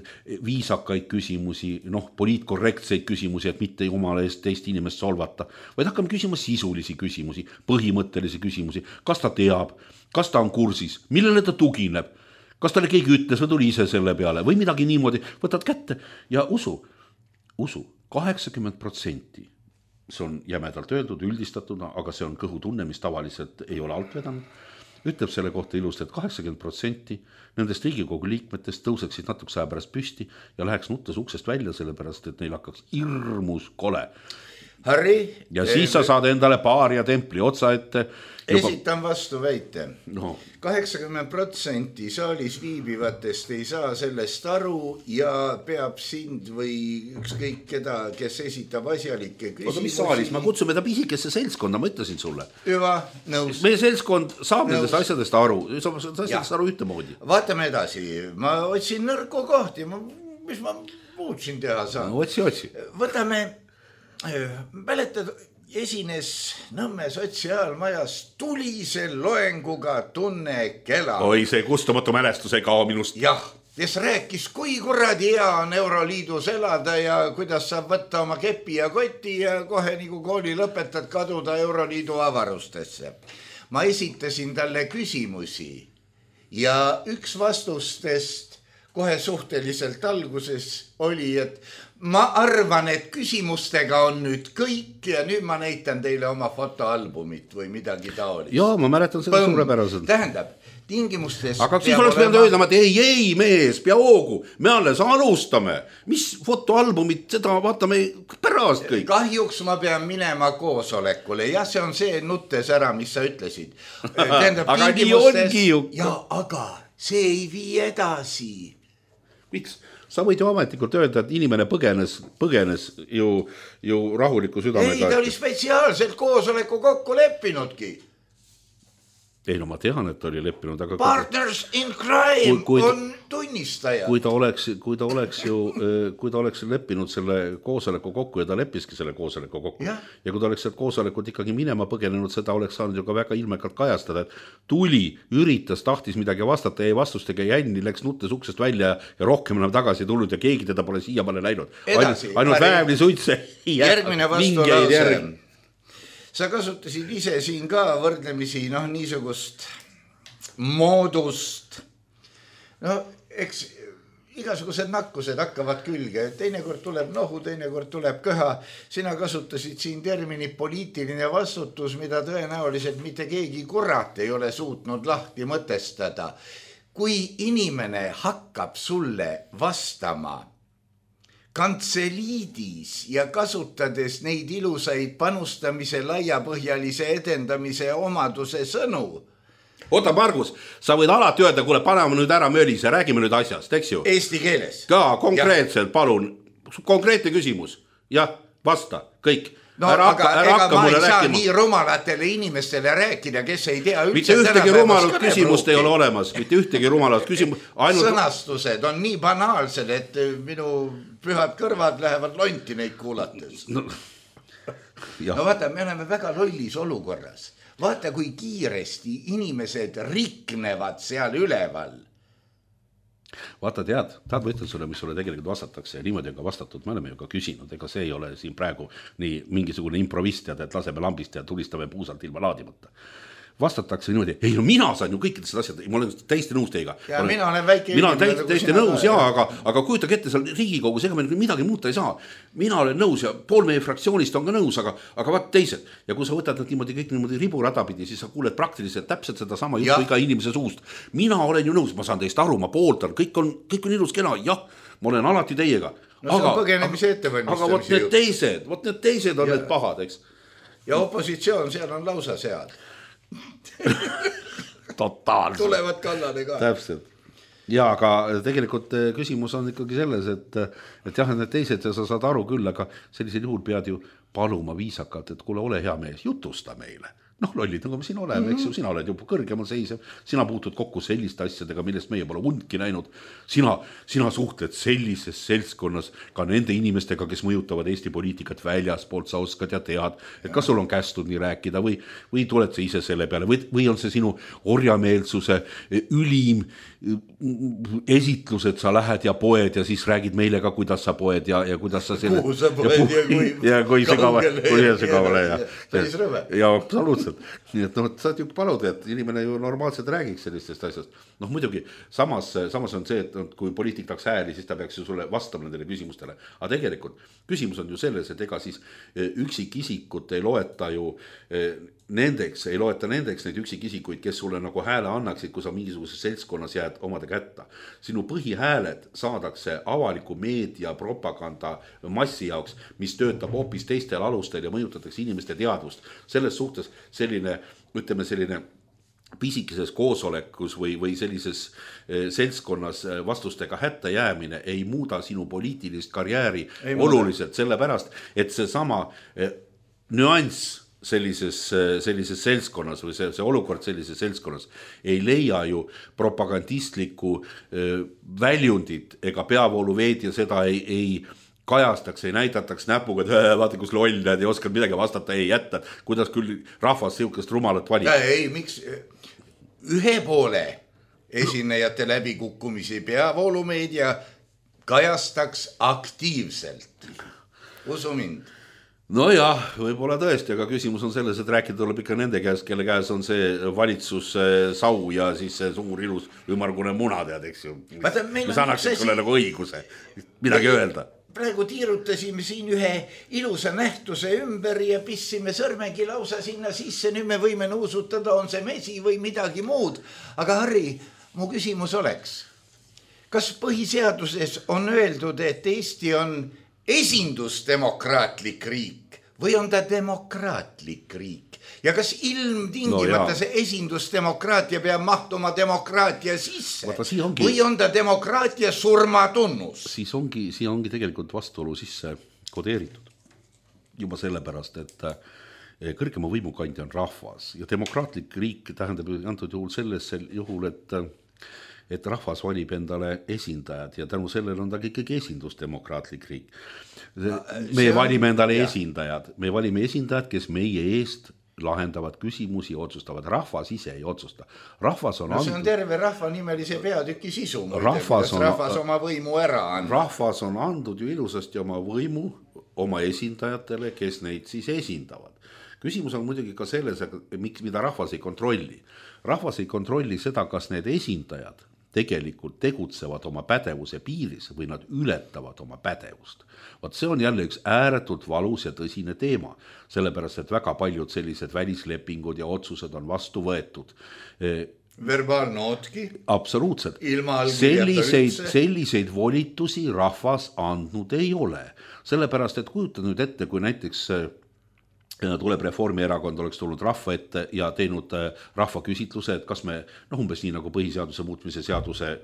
viisakaid küsimusi, noh, poliitkorrektseid küsimusi, et mitte jumala eest teist inimest solvata, vaid hakkame küsima sisulisi küsimusi, põhimõttelisi küsimusi, kas ta teab, kas ta on kursis, millele ta tugineb, kas talle keegi ütles või tuli ise selle peale või midagi niimoodi, võtad kätte ja usu, usu, kaheksakümmend protsenti see on jämedalt öeldud, üldistatuna, aga see on kõhutunne, mis tavaliselt ei ole alt vedanud, ütleb selle kohta ilusti, et kaheksakümmend protsenti nendest Riigikogu liikmetest tõuseksid natuke aja pärast püsti ja läheks nuttes uksest välja, sellepärast, et neil hakkaks hirmus kole. Harri, ja siis sa saad endale paar ja templi otsa ette. Juba... Esitan vastu väite. No. kaheksakümmend protsenti saalis viibivatest ei saa sellest aru ja peab sind või ükskõik keda, kes esitab asjalikke küsimusi. Aga mis saalis? Ma kutsume ta pisikesse seltskonda, ma ütlesin sulle. Hüva, nõus. Meie seltskond saab nõus. Nendest asjadest aru, saab asjadest aru ühtemoodi. Vaatame edasi. Ma otsin nõrku kohti, ma, mis ma muud siin teha saan. No otsi, otsi. Võtame... Mäletad, esines Nõmme sotsiaalmajas tulise loenguga Tunne Kela. Oi, see kustumatu mälestus ei kao minust. Jah, kes rääkis, kui kuradi hea on Euroliidus elada ja kuidas saab võtta oma kepi ja koti ja kohe nagu kooli lõpetad kaduda Euroliidu avarustesse. Ma esitasin talle küsimusi ja üks vastustest kohe suhteliselt alguses oli, et ma arvan, et küsimustega on nüüd kõik ja nüüd ma näitan teile oma fotoalbumit või midagi taolist. Jaa, ma mäletan seda suurepäraselt. Tähendab, tingimustes... Aga siis oleks peanud öelda, et ei, ei mees, pea hoogu, me alles alustame. Mis fotoalbumit, seda vaatame pärast kõik. Kahjuks ma pean minema koosolekule. Jah, see on see nuttes ära, mis sa ütlesid. Tähendab, aga nii ongi ju. Ja, aga see ei vii edasi. Miks? Sa võid ju ametlikult öelda, et inimene põgenes, põgenes ju, ju rahuliku südamega. Ei, ta oli spetsiaalselt koosoleku kokku leppinudki. Ei, no ma tean, et ta oli leppinud, aga... Partners in crime kui, kui, on tunnistaja. Kui ta oleks, kui ta oleks ju, kui ta oleks leppinud selle koosoleku kokku ja ta leppiski selle koosoleku kokku. Ja, ja kui ta oleks sealt koosolekut ikkagi minema põgenenud, seda oleks saanud ju ka väga ilmekalt kajastada, et tuli, üritas, tahtis midagi vastata, ei vastustega jänni, läks nuttes uksest välja ja rohkem enam tagasi tulnud ja keegi teda pole siia pole läinud. Edasi. Ainult, ainult väävli suitse. Järgmine vastu lause. Sa kasutasid ise siin ka võrdlemisi noh, niisugust moodust. No, eks igasugused nakkused hakkavad külge. Teinekord tuleb nohu, teinekord tuleb köha. Sina kasutasid siin termini poliitiline vastutus, mida tõenäoliselt mitte keegi kurat ei ole suutnud lahti mõtestada. Kui inimene hakkab sulle vastama kantseliidis ja kasutades neid ilusaid panustamise, laiapõhjalise edendamise omaduse sõnu. Oota, Margus, sa võid alati öelda, kuule, paneme nüüd ära mölise, räägime nüüd asjast, eks ju? Eesti keeles. Ka konkreetselt, ja. Palun, konkreetne küsimus. Jah, vasta, kõik. No, ära, aga ära ega ma ei saa rääkima. Nii rumalatele inimestele rääkida, kes ei tea üldse. Mitte ühtegi rumalat küsimust ei ole olemas, mitte ühtegi rumalat küsimus. Ainult... Sõnastused on nii banaalsed, et minu pühad kõrvad lähevad lonti neid kuulates. No, no vaata, me oleme väga lollis olukorras. Vaata, kui kiiresti inimesed riknevad seal üleval. Vaata, tead, tahad ma ütlen sulle, mis sulle tegelikult vastatakse ja niimoodi on ka vastatud, me oleme ju ka küsinud, ega see ei ole siin praegu nii mingisugune improvist, et laseme lambist ja tulistame puusalt ilma laadimata. Vastatakse niimoodi, ei no mina saan ju kõikidest asjad, ma olen täiesti nõus teiega. Ja olen, mina olen väike mina olen täiesti, täiesti nõus, jaa, aga, aga kujutage ette seal Riigikogus, ega me midagi muuta ei saa. Mina olen nõus ja pool meie fraktsioonist on ka nõus, aga, aga vaat teised. Ja kui sa võtad niimoodi kõik niimoodi riburada pidi, siis sa kuuled praktiliselt täpselt seda sama juttu iga inimese suust. Mina olen ju nõus, ma saan teist aru, ma pooltan, kõik on, kõik on ilus kena, jah, ma olen alati teiega. No see on põgenemise ettevalmistamise aga vot need teised, vot need teised on ja. Need pahad, eks. Ja opositsioon seal on lausa sead. Totaalselt. Tulevad kallale ka. Täpselt. Ja, aga tegelikult küsimus on ikkagi selles, et, et jah, need teised ja sa saad aru küll, aga sellisel juhul pead ju paluma viisakalt, et kuule, ole hea mees, jutusta meile. Noh, lollid, nagu me siin oleme, mm-hmm. eks ju, sina oled juba kõrgemal seisev, sina puutud kokku selliste asjadega, millest meie pole undki näinud. Sina, sina suhtled sellises seltskonnas ka nende inimestega, kes mõjutavad Eesti poliitikat väljaspoolt, sa oskad ja tead, et kas sul on kästud nii rääkida või, või tuled sa ise selle peale või, või on see sinu orjameelsuse ülim esitlus, et sa lähed ja poed ja siis räägid meile ka, kuidas sa poed ja, ja kuidas sa selle... Kuhu sa poed ja, ja kui... Ja kui see kavale ja, ja, ja absoluutselt. absoluutselt. Nii et noh, saad ju paluda, et inimene ju normaalselt räägiks sellistest asjast. Noh muidugi, samas, samas on see, et kui poliitik tahaks hääli, siis ta peaks ju sulle vastama nendele küsimustele. Aga tegelikult küsimus on ju selles, et ega siis üksikisikut ei loeta ju nendeks, ei loeta nendeks neid üksikisikuid, kes sulle nagu hääle annaksid, kui sa mingisuguses seltskonnas jääd omade kätta. Sinu põhihääled saadakse avaliku meedia propaganda massi jaoks, mis töötab hoopis teistel alustel ja mõjutatakse inimeste teadvust. Selles suhtes selline, ütleme selline pisikeses koosolekus või, või sellises seltskonnas vastustega hätta jäämine ei muuda sinu poliitilist karjääri ei oluliselt, sellepärast, et see sama nüanss sellises, sellises seltskonnas või see, see olukord sellises seltskonnas ei leia ju propagandistlikku väljundit ega peavooluveed ja seda ei, ei kajastaks, ei näidataks näpuga, et vaata kus loll näed, ei oskanud midagi vastata, ei jätta, kuidas küll rahvas siukest rumalat valib. Ei, miks ühe poole esinejate läbikukkumisi peavoolumeedia kajastaks aktiivselt. Usu mind. No jah, võib-olla tõesti, aga küsimus on selles, et rääkida tuleb ikka nende käes, kelle käes on see valitsus sau ja siis see suur ilus ümargune muna tead, eks ju. Mis annaksid sulle nagu õiguse midagi öelda. Praegu tiirutasime siin ühe ilusa nähtuse ümber ja pissime sõrmegi lausa sinna sisse. Nüüd me võime nuusutada, on see mesi või midagi muud. Aga Harri, mu küsimus oleks, kas põhiseaduses on öeldud, et Eesti on esindusdemokraatlik riik või on ta demokraatlik riik? Ja kas ilmtingimata no, see esindusdemokraatia peab mahtuma demokraatia sisse Vaata, ongi, või on ta demokraatia surmatunnus? Siis ongi, siia ongi tegelikult vastuolu sisse kodeeritud. Juba sellepärast, et kõrgema võimukandja on rahvas ja demokraatlik riik tähendab antud juhul selles juhul, et et rahvas valib endale esindajad ja tänu sellele on ta ikkagi esindusdemokraatlik riik. Me valime endale ja. esindajad, me valime esindajad, kes meie eest lahendavad küsimusi ja otsustavad. Rahvas ise ei otsusta. Rahvas on, no, see on terve rahva nimelise peatüki sisu. Rahvas on, rahvas oma võimu ära andnud. Rahvas on andnud ju ilusasti oma võimu oma esindajatele, kes neid siis esindavad. Küsimus on muidugi ka selles, miks, mida rahvas ei kontrolli. Rahvas ei kontrolli seda, kas need esindajad tegelikult tegutsevad oma pädevuse piiris või nad ületavad oma pädevust. Vaat see on jälle üks ääretult valus ja tõsine teema, sellepärast, et väga paljud sellised välislepingud ja otsused on vastu võetud. Verbaalnootki? Absoluutselt. Selliseid, selliseid volitusi rahvas andnud ei ole. Sellepärast, et kujuta nüüd ette, kui näiteks tuleb Reformierakond, oleks tulnud rahva ette ja teinud rahva küsitluse, et kas me, noh umbes nii nagu põhiseaduse muutmise seaduse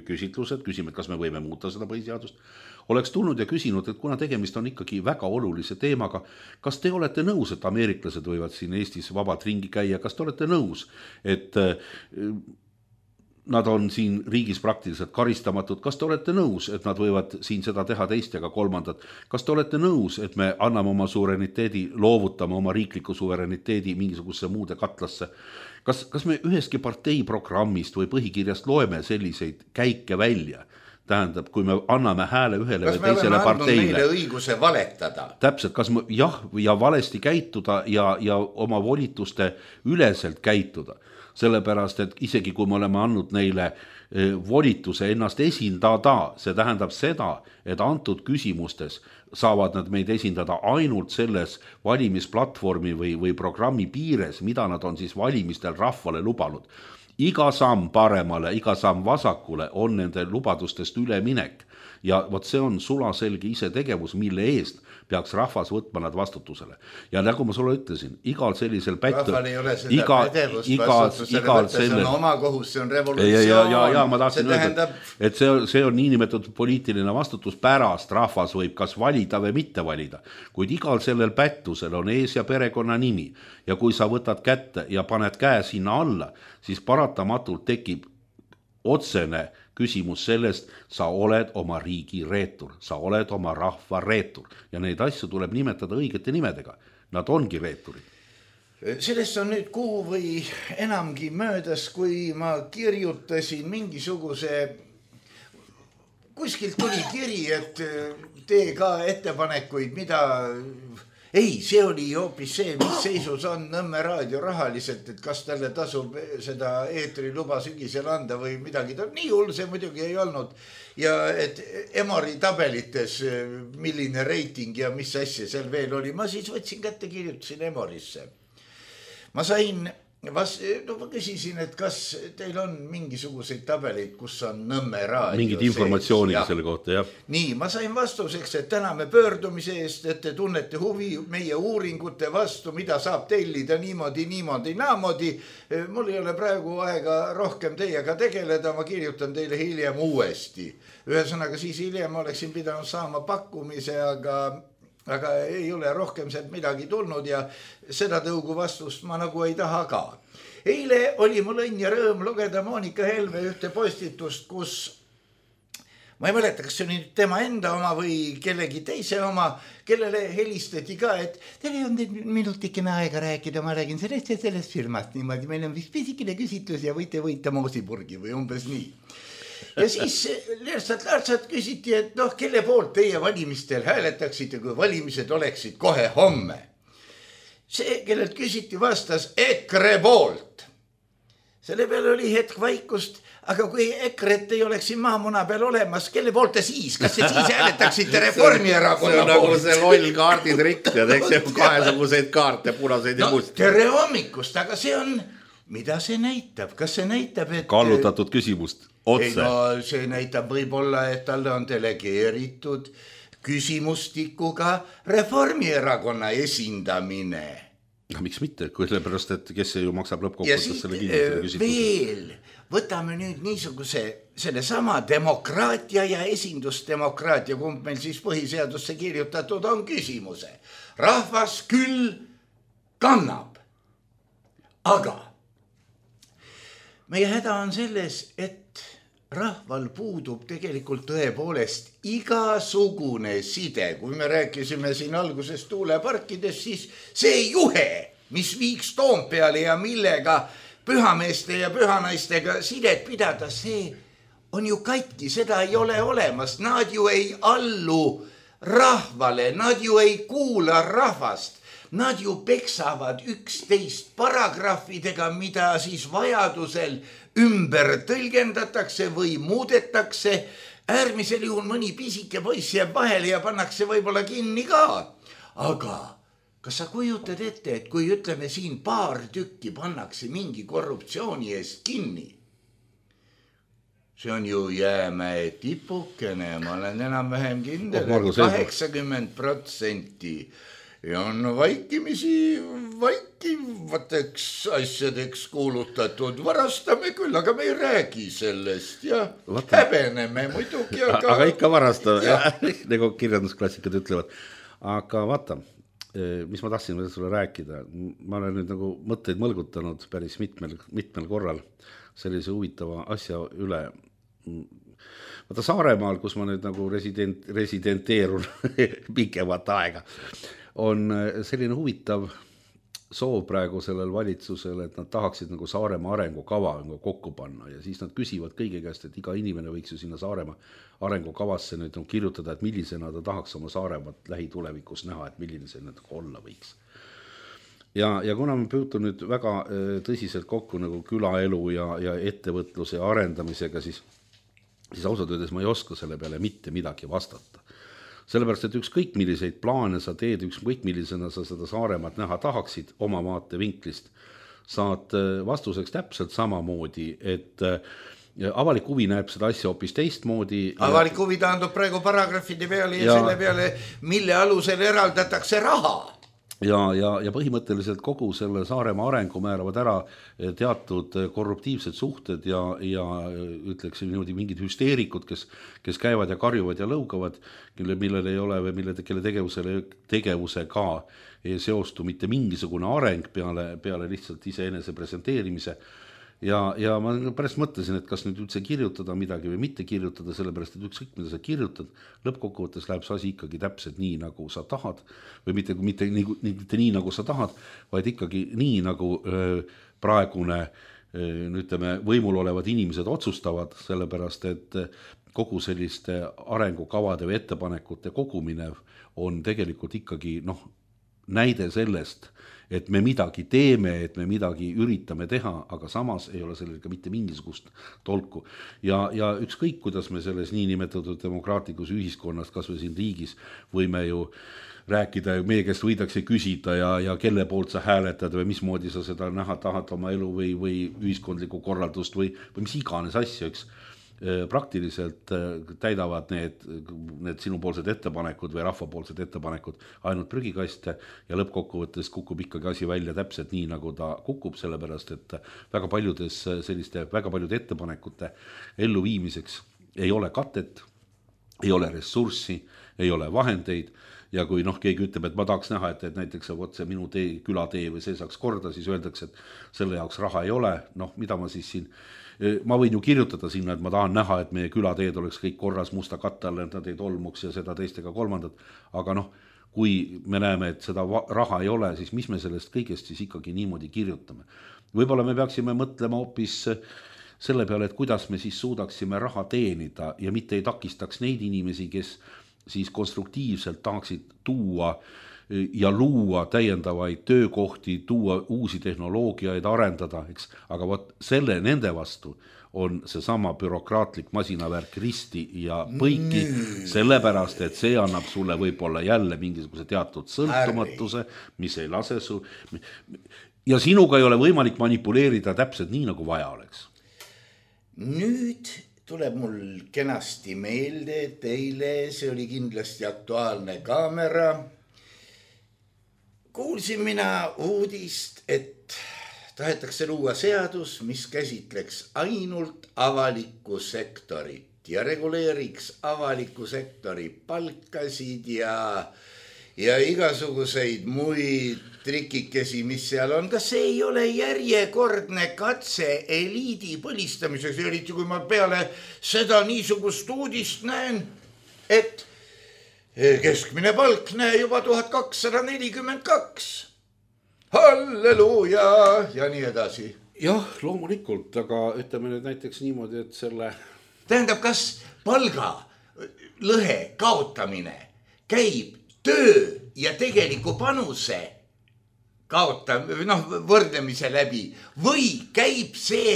küsitlused, küsime, et kas me võime muuta seda põhiseadust, oleks tulnud ja küsinud, et kuna tegemist on ikkagi väga olulise teemaga, kas te olete nõus, et ameeriklased võivad siin Eestis vabalt ringi käia, kas te olete nõus, et nad on siin riigis praktiliselt karistamatud, kas te olete nõus, et nad võivad siin seda teha teist ja ka kolmandat, kas te olete nõus, et me anname oma suvereniteedi, loovutame oma riikliku suvereniteedi mingisugusesse muude katlasse, kas, kas me üheski partei programmist või põhikirjast loeme selliseid käike välja, tähendab, kui me anname hääle ühele kas või teisele parteile. Kas me oleme andnud meile õiguse valetada? Täpselt, kas me jah, ja valesti käituda ja, ja oma volituste üleselt käituda. Sellepärast, et isegi kui me oleme andnud neile volituse ennast esindada, see tähendab seda, et antud küsimustes saavad nad meid esindada ainult selles valimisplatvormi või, või programmi piires, mida nad on siis valimistel rahvale lubanud. Iga samm paremale, iga samm vasakule on nende lubadustest üleminek ja vot see on sulaselge ise tegevus, mille eest peaks rahvas võtma nad vastutusele. Ja nagu ma sulle ütlesin, igal sellisel pättu... Rahval ei ole seda iga, pädevust iga, vastutusele iga võtta, selle... see on oma kohus, see on revolutsioon. Ja, ja, ja, ja ma tahtsin öelda, tähendab... et see, see on niinimetatud poliitiline vastutus pärast, rahvas võib kas valida või mitte valida. Kuid igal sellel pättusel on ees ja perekonna nimi ja kui sa võtad kätte ja paned käe sinna alla, siis paratamatult tekib otsene küsimus sellest, sa oled oma riigi reetur, sa oled oma rahva reetur ja neid asju tuleb nimetada õigete nimedega. Nad ongi reeturid. Sellest on nüüd kuu või enamgi möödas, kui ma kirjutasin mingisuguse, kuskilt tuli kiri, et tee ka ettepanekuid, mida ei, see oli hoopis see, mis seisus on Nõmme raadio rahaliselt, et kas talle tasub seda eetriluba sügisel anda või midagi. Nii hull see muidugi ei olnud. Ja et Emori tabelites, milline reiting ja mis asja seal veel oli, ma siis võtsin kätte, kirjutasin Emorisse. Ma sain... Vas, no ma küsisin, et kas teil on mingisuguseid tabeleid, kus on Nõmme raadio mingid informatsioonid selle kohta, jah. Nii, ma sain vastuseks, et täname pöördumise eest, et te tunnete huvi meie uuringute vastu, mida saab tellida niimoodi, niimoodi, naamodi. Mul ei ole praegu aega rohkem teiega tegeleda, ma kirjutan teile hiljem uuesti. Ühesõnaga siis hiljem oleksin pidanud saama pakkumise, aga... aga ei ole rohkem sealt midagi tulnud ja seda tõugu vastust ma nagu ei taha ka. Eile oli mul õnn ja rõõm lugeda Monika Helme ühte postitust, kus ma ei mäleta, kas see on tema enda oma või kellegi teise oma, kellele helistati ka, et teil on minutikene aega rääkida, ma räägin sellest ja sellest firmast niimoodi, meil on vist pisikene küsitlus ja võite võita moosipurgi või umbes nii. Ja siis lihtsalt-lihtsalt küsiti, et noh, kelle poolt teie valimistel hääletaksite, kui valimised oleksid kohe homme. See, kellelt küsiti, vastas EKRE poolt. Selle peale oli hetk vaikust, aga kui EKRE-t ei oleks siin maamuna peal olemas, kelle poolt te siis? Kas te siis hääletaksite Reformierakonna poolt? See on nagu see loll kaarditrikk ja eks see kahesuguseid kaarte, punaseid ja no, musti. Tere hommikust, aga see on... Mida see näitab? Kas see näitab, et... Kallutatud küsimust, otse. Ei, no see näitab võib-olla, et talle on delegeeritud küsimustikuga Reformierakonna esindamine. No, miks mitte? Kui sellepärast, et kes see ju maksab lõppkokkuvõttes selle küsitluse? Veel, võtame nüüd niisuguse selle sama demokraatia ja esindusdemokraatia, kumb meil siis põhiseadusse kirjutatud on küsimuse. Rahvas küll kannab, aga... Meie häda on selles, et rahval puudub tegelikult tõepoolest igasugune side. Kui me rääkisime siin alguses tuuleparkidest, siis see juhe, mis viiks Toompeale ja millega pühameeste ja pühanaistega sidet pidada, see on ju katki, seda ei ole olemas. Nad ju ei allu rahvale, nad ju ei kuula rahvast. Nad ju peksavad üksteist paragrahvidega, mida siis vajadusel ümber tõlgendatakse või muudetakse. Äärmisel juhul mõni pisike poiss jääb vahele ja pannakse võib-olla kinni ka. Aga kas sa kujutad ette, et kui ütleme siin paar tükki pannakse mingi korruptsiooni eest kinni? See on ju jäämäe tipukene, ma olen enam vähem kindel, et kaheksakümmend protsenti ja on vaikimisi vaikivateks asjadeks kuulutatud. Varastame küll, aga me ei räägi sellest ja Vata. häbeneme muidugi. Aga, aga ikka varastame, nagu kirjandusklassikud ütlevad. Aga vaata, mis ma tahtsin sulle rääkida. Ma olen nüüd nagu mõtteid mõlgutanud päris mitmel, mitmel korral sellise huvitava asja üle. Vaata Saaremaal, kus ma nüüd nagu resident, residenteerun pikemat aega, on selline huvitav soov praegu sellel valitsusel, et nad tahaksid nagu Saaremaa arengukava nagu kokku panna ja siis nad küsivad kõige käest, et iga inimene võiks ju sinna Saaremaa arengukavasse nüüd kirjutada, et millisena ta tahaks oma Saaremaat lähitulevikus näha, et milline see nüüd olla võiks. Ja, ja kuna ma püütun nüüd väga tõsiselt kokku nagu külaelu ja, ja ettevõtluse ja arendamisega, siis, siis ausalt öeldes ma ei oska selle peale mitte midagi vastata. Sellepärast, et ükskõik milliseid plaane sa teed, ükskõik millisena sa seda Saaremaat näha tahaksid oma vaate vinklist, saad vastuseks täpselt samamoodi, et avalik huvi näeb seda asja hoopis teistmoodi. Avalik huvi taandub praegu paragrafide peale ja, ja selle peale, mille alusel eraldatakse raha. Ja, ja, ja põhimõtteliselt kogu selle Saaremaa arengu määravad ära teatud korruptiivsed suhted ja, ja ütleks niimoodi mingid hüsteerikud, kes, kes käivad ja karjuvad ja lõugavad, kelle, millel ei ole või mille, kelle tegevusele, tegevusega ei seostu mitte mingisugune areng peale, peale lihtsalt iseenese presenteerimise. Ja, ja ma pärast mõtlesin, et kas nüüd üldse kirjutada midagi või mitte kirjutada, sellepärast, et ükskõik mida sa kirjutad, lõppkokkuvõttes läheb see asi ikkagi täpselt nii, nagu sa tahad, või mitte, mitte, nii, mitte nii, nagu sa tahad, vaid ikkagi nii, nagu öö, praegune öö, ütleme, võimul olevad inimesed otsustavad, sellepärast, et kogu selliste arengukavade või ettepanekute kogumine on tegelikult ikkagi noh, näide sellest, et me midagi teeme, et me midagi üritame teha, aga samas ei ole sellel ka mitte mingisugust tolku. Ja, ja ükskõik, kuidas me selles niinimetatud demokraatlikus ühiskonnas, kas või siin riigis, võime ju rääkida, meie käest võidakse küsida ja, ja kelle poolt sa hääletad või mismoodi sa seda näha tahad oma elu või, või ühiskondlikku korraldust või, või mis iganes asja, eks. Praktiliselt täidavad need, need sinupoolsed ettepanekud või rahvapoolsed ettepanekud ainult prügikaste ja lõppkokkuvõttes kukub ikkagi asi välja täpselt nii, nagu ta kukub, sellepärast et väga paljudes selliste, väga paljude ettepanekute elluviimiseks ei ole katet, ei ole ressurssi, ei ole vahendeid ja kui noh, keegi ütleb, et ma tahaks näha, et, et näiteks võt see minu tee, külatee või see saaks korda, siis öeldakse, et selle jaoks raha ei ole, noh, mida ma siis siin ma võin ju kirjutada sinna, et ma tahan näha, et meie külateed oleks kõik korras musta katte all, et nad ei tolmuks ja seda teistega kolmandat, aga noh, kui me näeme, et seda raha ei ole, siis mis me sellest kõigest siis ikkagi niimoodi kirjutame. Võib-olla me peaksime mõtlema hoopis selle peale, et kuidas me siis suudaksime raha teenida ja mitte ei takistaks neid inimesi, kes siis konstruktiivselt tahaksid tuua ja luua täiendavaid töökohti, tuua uusi tehnoloogiaid, arendada, eks, aga võt selle nende vastu on seesama bürokraatlik masinavärk risti ja põiki, sellepärast, et see annab sulle võib-olla jälle mingisuguse teatud sõltumatuse, mis ei lase su... ja sinuga ei ole võimalik manipuleerida täpselt nii, nagu vaja oleks. Nüüd tuleb mul kenasti meelde, et eile see oli kindlasti Aktuaalne Kaamera. Kuulsin mina uudist, et tahetakse luua seadus, mis käsitleks ainult avalikku sektorit ja reguleeriks avaliku sektori palkasid ja, ja igasuguseid muid trikikesi, mis seal on. Kas see ei ole järjekordne katse eliidi põlistamiseks, eriti kui ma peale seda niisugust uudist näen, et keskmine palk näe juba tuhat kakssada nelikümmend kaks. Halleluuja ja nii edasi. Jah, loomulikult, aga ütleme nüüd näiteks niimoodi, et selle... Tähendab, kas palga lõhe kaotamine käib töö ja tegeliku panuse kaotam-, noh, võrdlemise läbi või käib see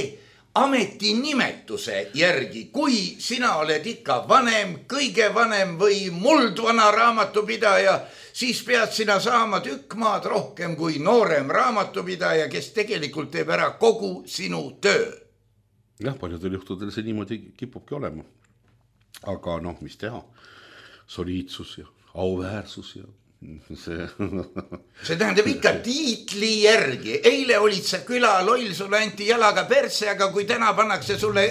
ametinimetuse järgi, kui sina oled ikka vanem, kõige vanem või muldvana raamatupidaja, siis pead sina saama tükk maad rohkem kui noorem raamatupidaja, kes tegelikult teeb ära kogu sinu töö. Jah, paljudel juhtudel see niimoodi kipubki olema. Aga noh, mis teha? Soliidsus ja auväärsus ja see... see tähendab ikka tiitli järgi. Eile olid sa küla loll, sulle anti jalaga perse, aga kui täna pannakse sulle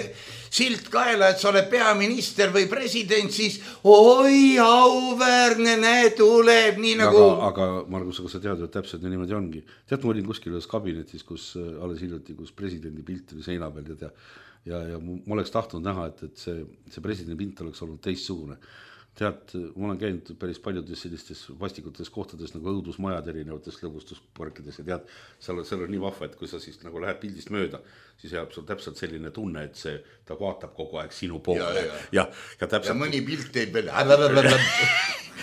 silt kaela, et sa oled peaminister või president, siis oi, auväärne, näe, tuleb nii nagu... Aga, aga Margus, aga sa tead, et täpselt niimoodi ongi. Tead, ma olin kuskil ühes kabinetis, kus alles hiljuti, kus presidendi pilt oli seina peal ja, ja, ja ma oleks tahtnud näha, et, et see, see presidendi pilt oleks olnud teistsugune. Tead, ma olen käinud päris paljudes sellistes vastikutes kohtades nagu õudusmajad erinevates lõbustusparkides ja tead, seal on, seal on nii vahva, et kui sa siis nagu lähed pildist mööda, siis jääb sul täpselt selline tunne, et see, ta vaatab kogu aeg sinu poole. Ja, ja. Ja, ja, täpselt... ja mõni pilt teeb veel.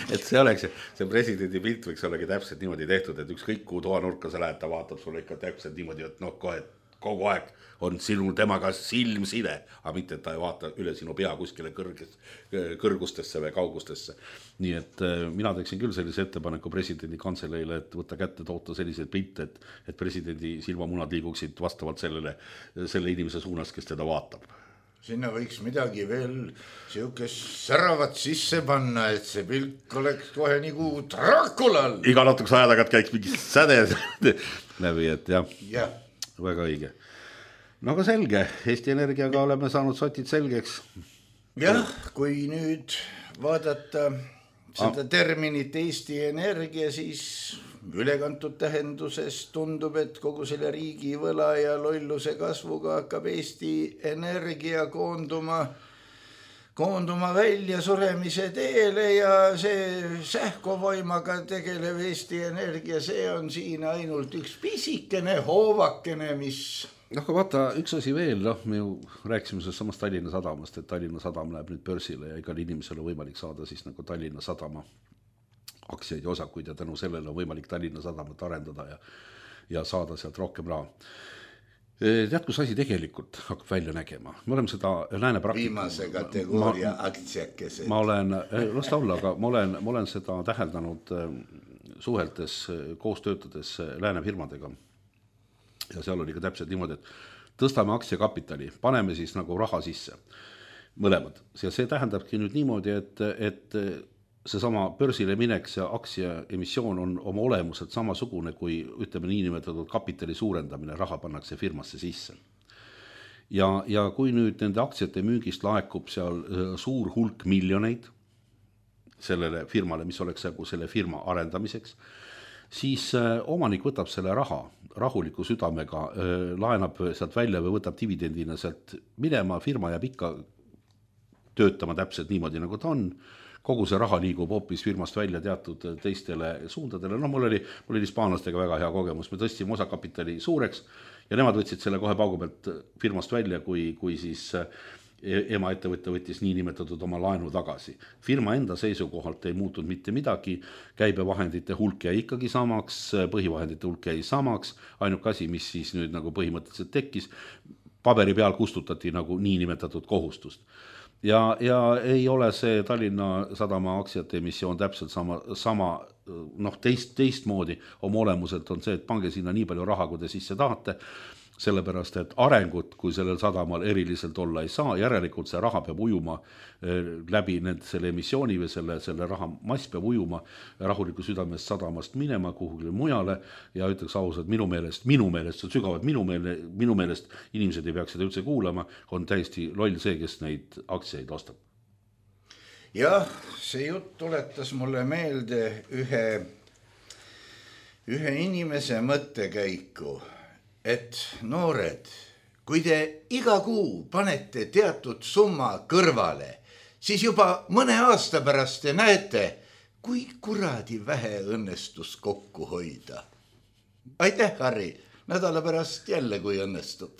Et see oleks, see presidendi pilt võiks ollagi täpselt niimoodi tehtud, et ükskõik kuhu toanurka sa lähed, ta vaatab sulle ikka täpselt niimoodi, et noh, kohe kogu aeg on sinu temaga silmside, aga mitte, et ta ei vaata üle sinu pea kuskile kõrges, kõrgustesse või kaugustesse. Nii et mina teeksin küll sellise ettepaneku presidendi kantseleile, et võtta kätte toota selliseid pilte, et, et presidendi silmamunad liiguksid vastavalt sellele, selle inimese suunas, kes teda vaatab. Sinna võiks midagi veel siukest säravat sisse panna, et see pilk oleks kohe nagu Draculal. Iga natukese aja tagant käiks mingi säde läbi, et jah. jah. Väga õige. No aga selge, Eesti Energiaga oleme saanud sotid selgeks. Jah, kui nüüd vaadata seda terminit Eesti Energia, siis ülekantud tähenduses tundub, et kogu selle riigi võla ja lolluse kasvuga hakkab Eesti Energia koonduma, koonduma välja suremise teele ja see sähkovoimaga tegelev Eesti Energia, see on siin ainult üks pisikene hoovakene, mis... noh, aga vaata, üks asi veel, noh, me ju rääkisime sellest samast Tallinna Sadamast, et Tallinna Sadam läheb nüüd börsile ja igal inimesel on võimalik saada siis nagu Tallinna Sadama aktsiaid ja osakuid ja tänu sellele on võimalik Tallinna Sadamat arendada ja, ja saada sealt rohkem raha. Tead, kus asi tegelikult hakkab välja nägema? Me oleme seda lääne praktika... Viimase kategooria aktsiakesed. Ma olen, las ta olla, aga ma olen, ma olen seda täheldanud suheltes, koos töötades lääne firmadega. Ja seal oli ka täpselt niimoodi, et tõstame aktsiakapitali, paneme siis nagu raha sisse, mõlemad. Ja see tähendabki nüüd niimoodi, et, et see sama börsile mineks ja aktsia emissioon on oma olemuselt samasugune, kui ütleme niinimetatud kapitali suurendamine, raha pannakse firmasse sisse. Ja, ja kui nüüd nende aktsiate müügist laekub seal suur hulk miljoneid sellele firmale, mis oleks selle firma arendamiseks, siis omanik võtab selle raha rahuliku südamega, laenab sealt välja või võtab dividendina sealt minema, firma jääb ikka töötama täpselt niimoodi, nagu ta on. Kogu see raha liigub hoopis firmast välja teatud teistele suundadele. No mul oli, mul oli hispaanlastega väga hea kogemus. Me tõstsime osakapitali suureks ja nemad võtsid selle kohe paugu pealt firmast välja, kui, kui siis ema ettevõtte võttis nii nimetatud oma laenu tagasi. Firma enda seisukohalt ei muutunud mitte midagi, käibevahendite hulk jäi ikkagi samaks, põhivahendite hulk jäi samaks, ainuke asi, mis siis nüüd nagu põhimõtteliselt tekkis, paberi peal kustutati nagu nii nimetatud kohustust. Ja, ja ei ole see Tallinna Sadama aktsiate emissioon täpselt sama, sama noh, teist, teist moodi oma olemuselt on see, et pange sinna nii palju raha, kui te sisse tahate, sellepärast, et arengut, kui sellel sadamal eriliselt olla ei saa, järelikult see raha peab ujuma läbi need, selle emissiooni või selle, selle raha mass peab ujuma rahuliku südamest sadamast minema kuhugile mujale ja ütleks ausalt, minu meelest, minu meelest, see on sügavalt minu, meele, minu meelest, inimesed ei peaks seda üldse kuulama, on täiesti loll see, kes neid aktsiaid ostab. Jah, see jutt tuletas mulle meelde ühe, ühe inimese mõttekäiku, et noored, kui te iga kuu panete teatud summa kõrvale, siis juba mõne aasta pärast te näete, kui kuradi vähe õnnestus kokku hoida. Aitäh, Harri! Nädala pärast jälle, kui õnnestub.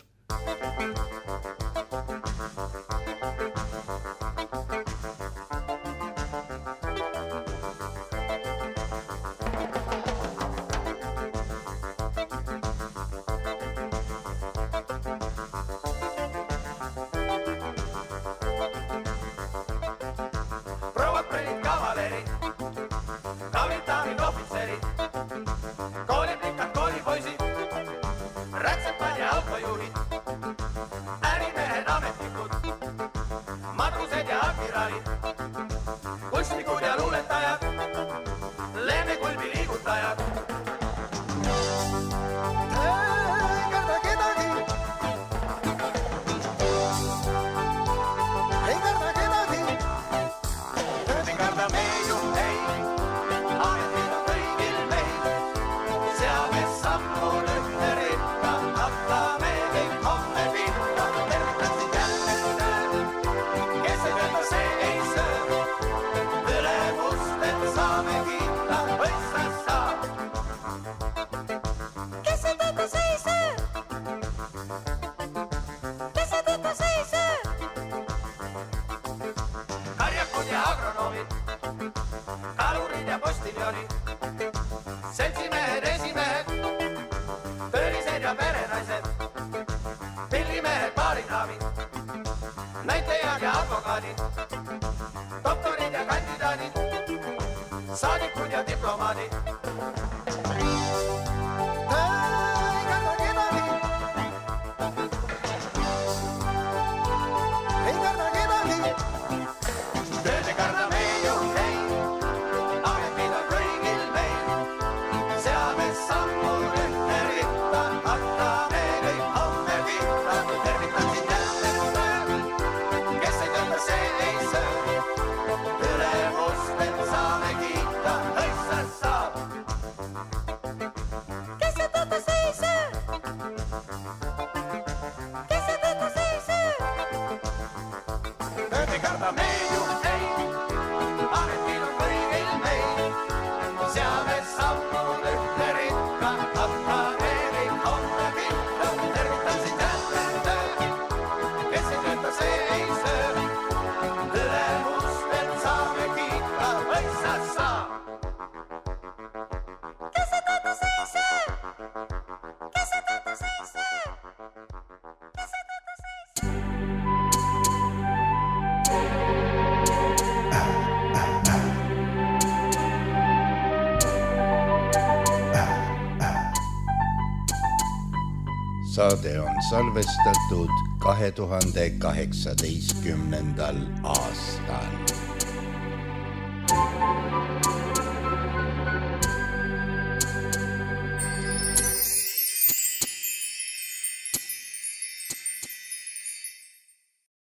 saade on salvestatud kahe tuhande kaheksateistkümnendal aastal.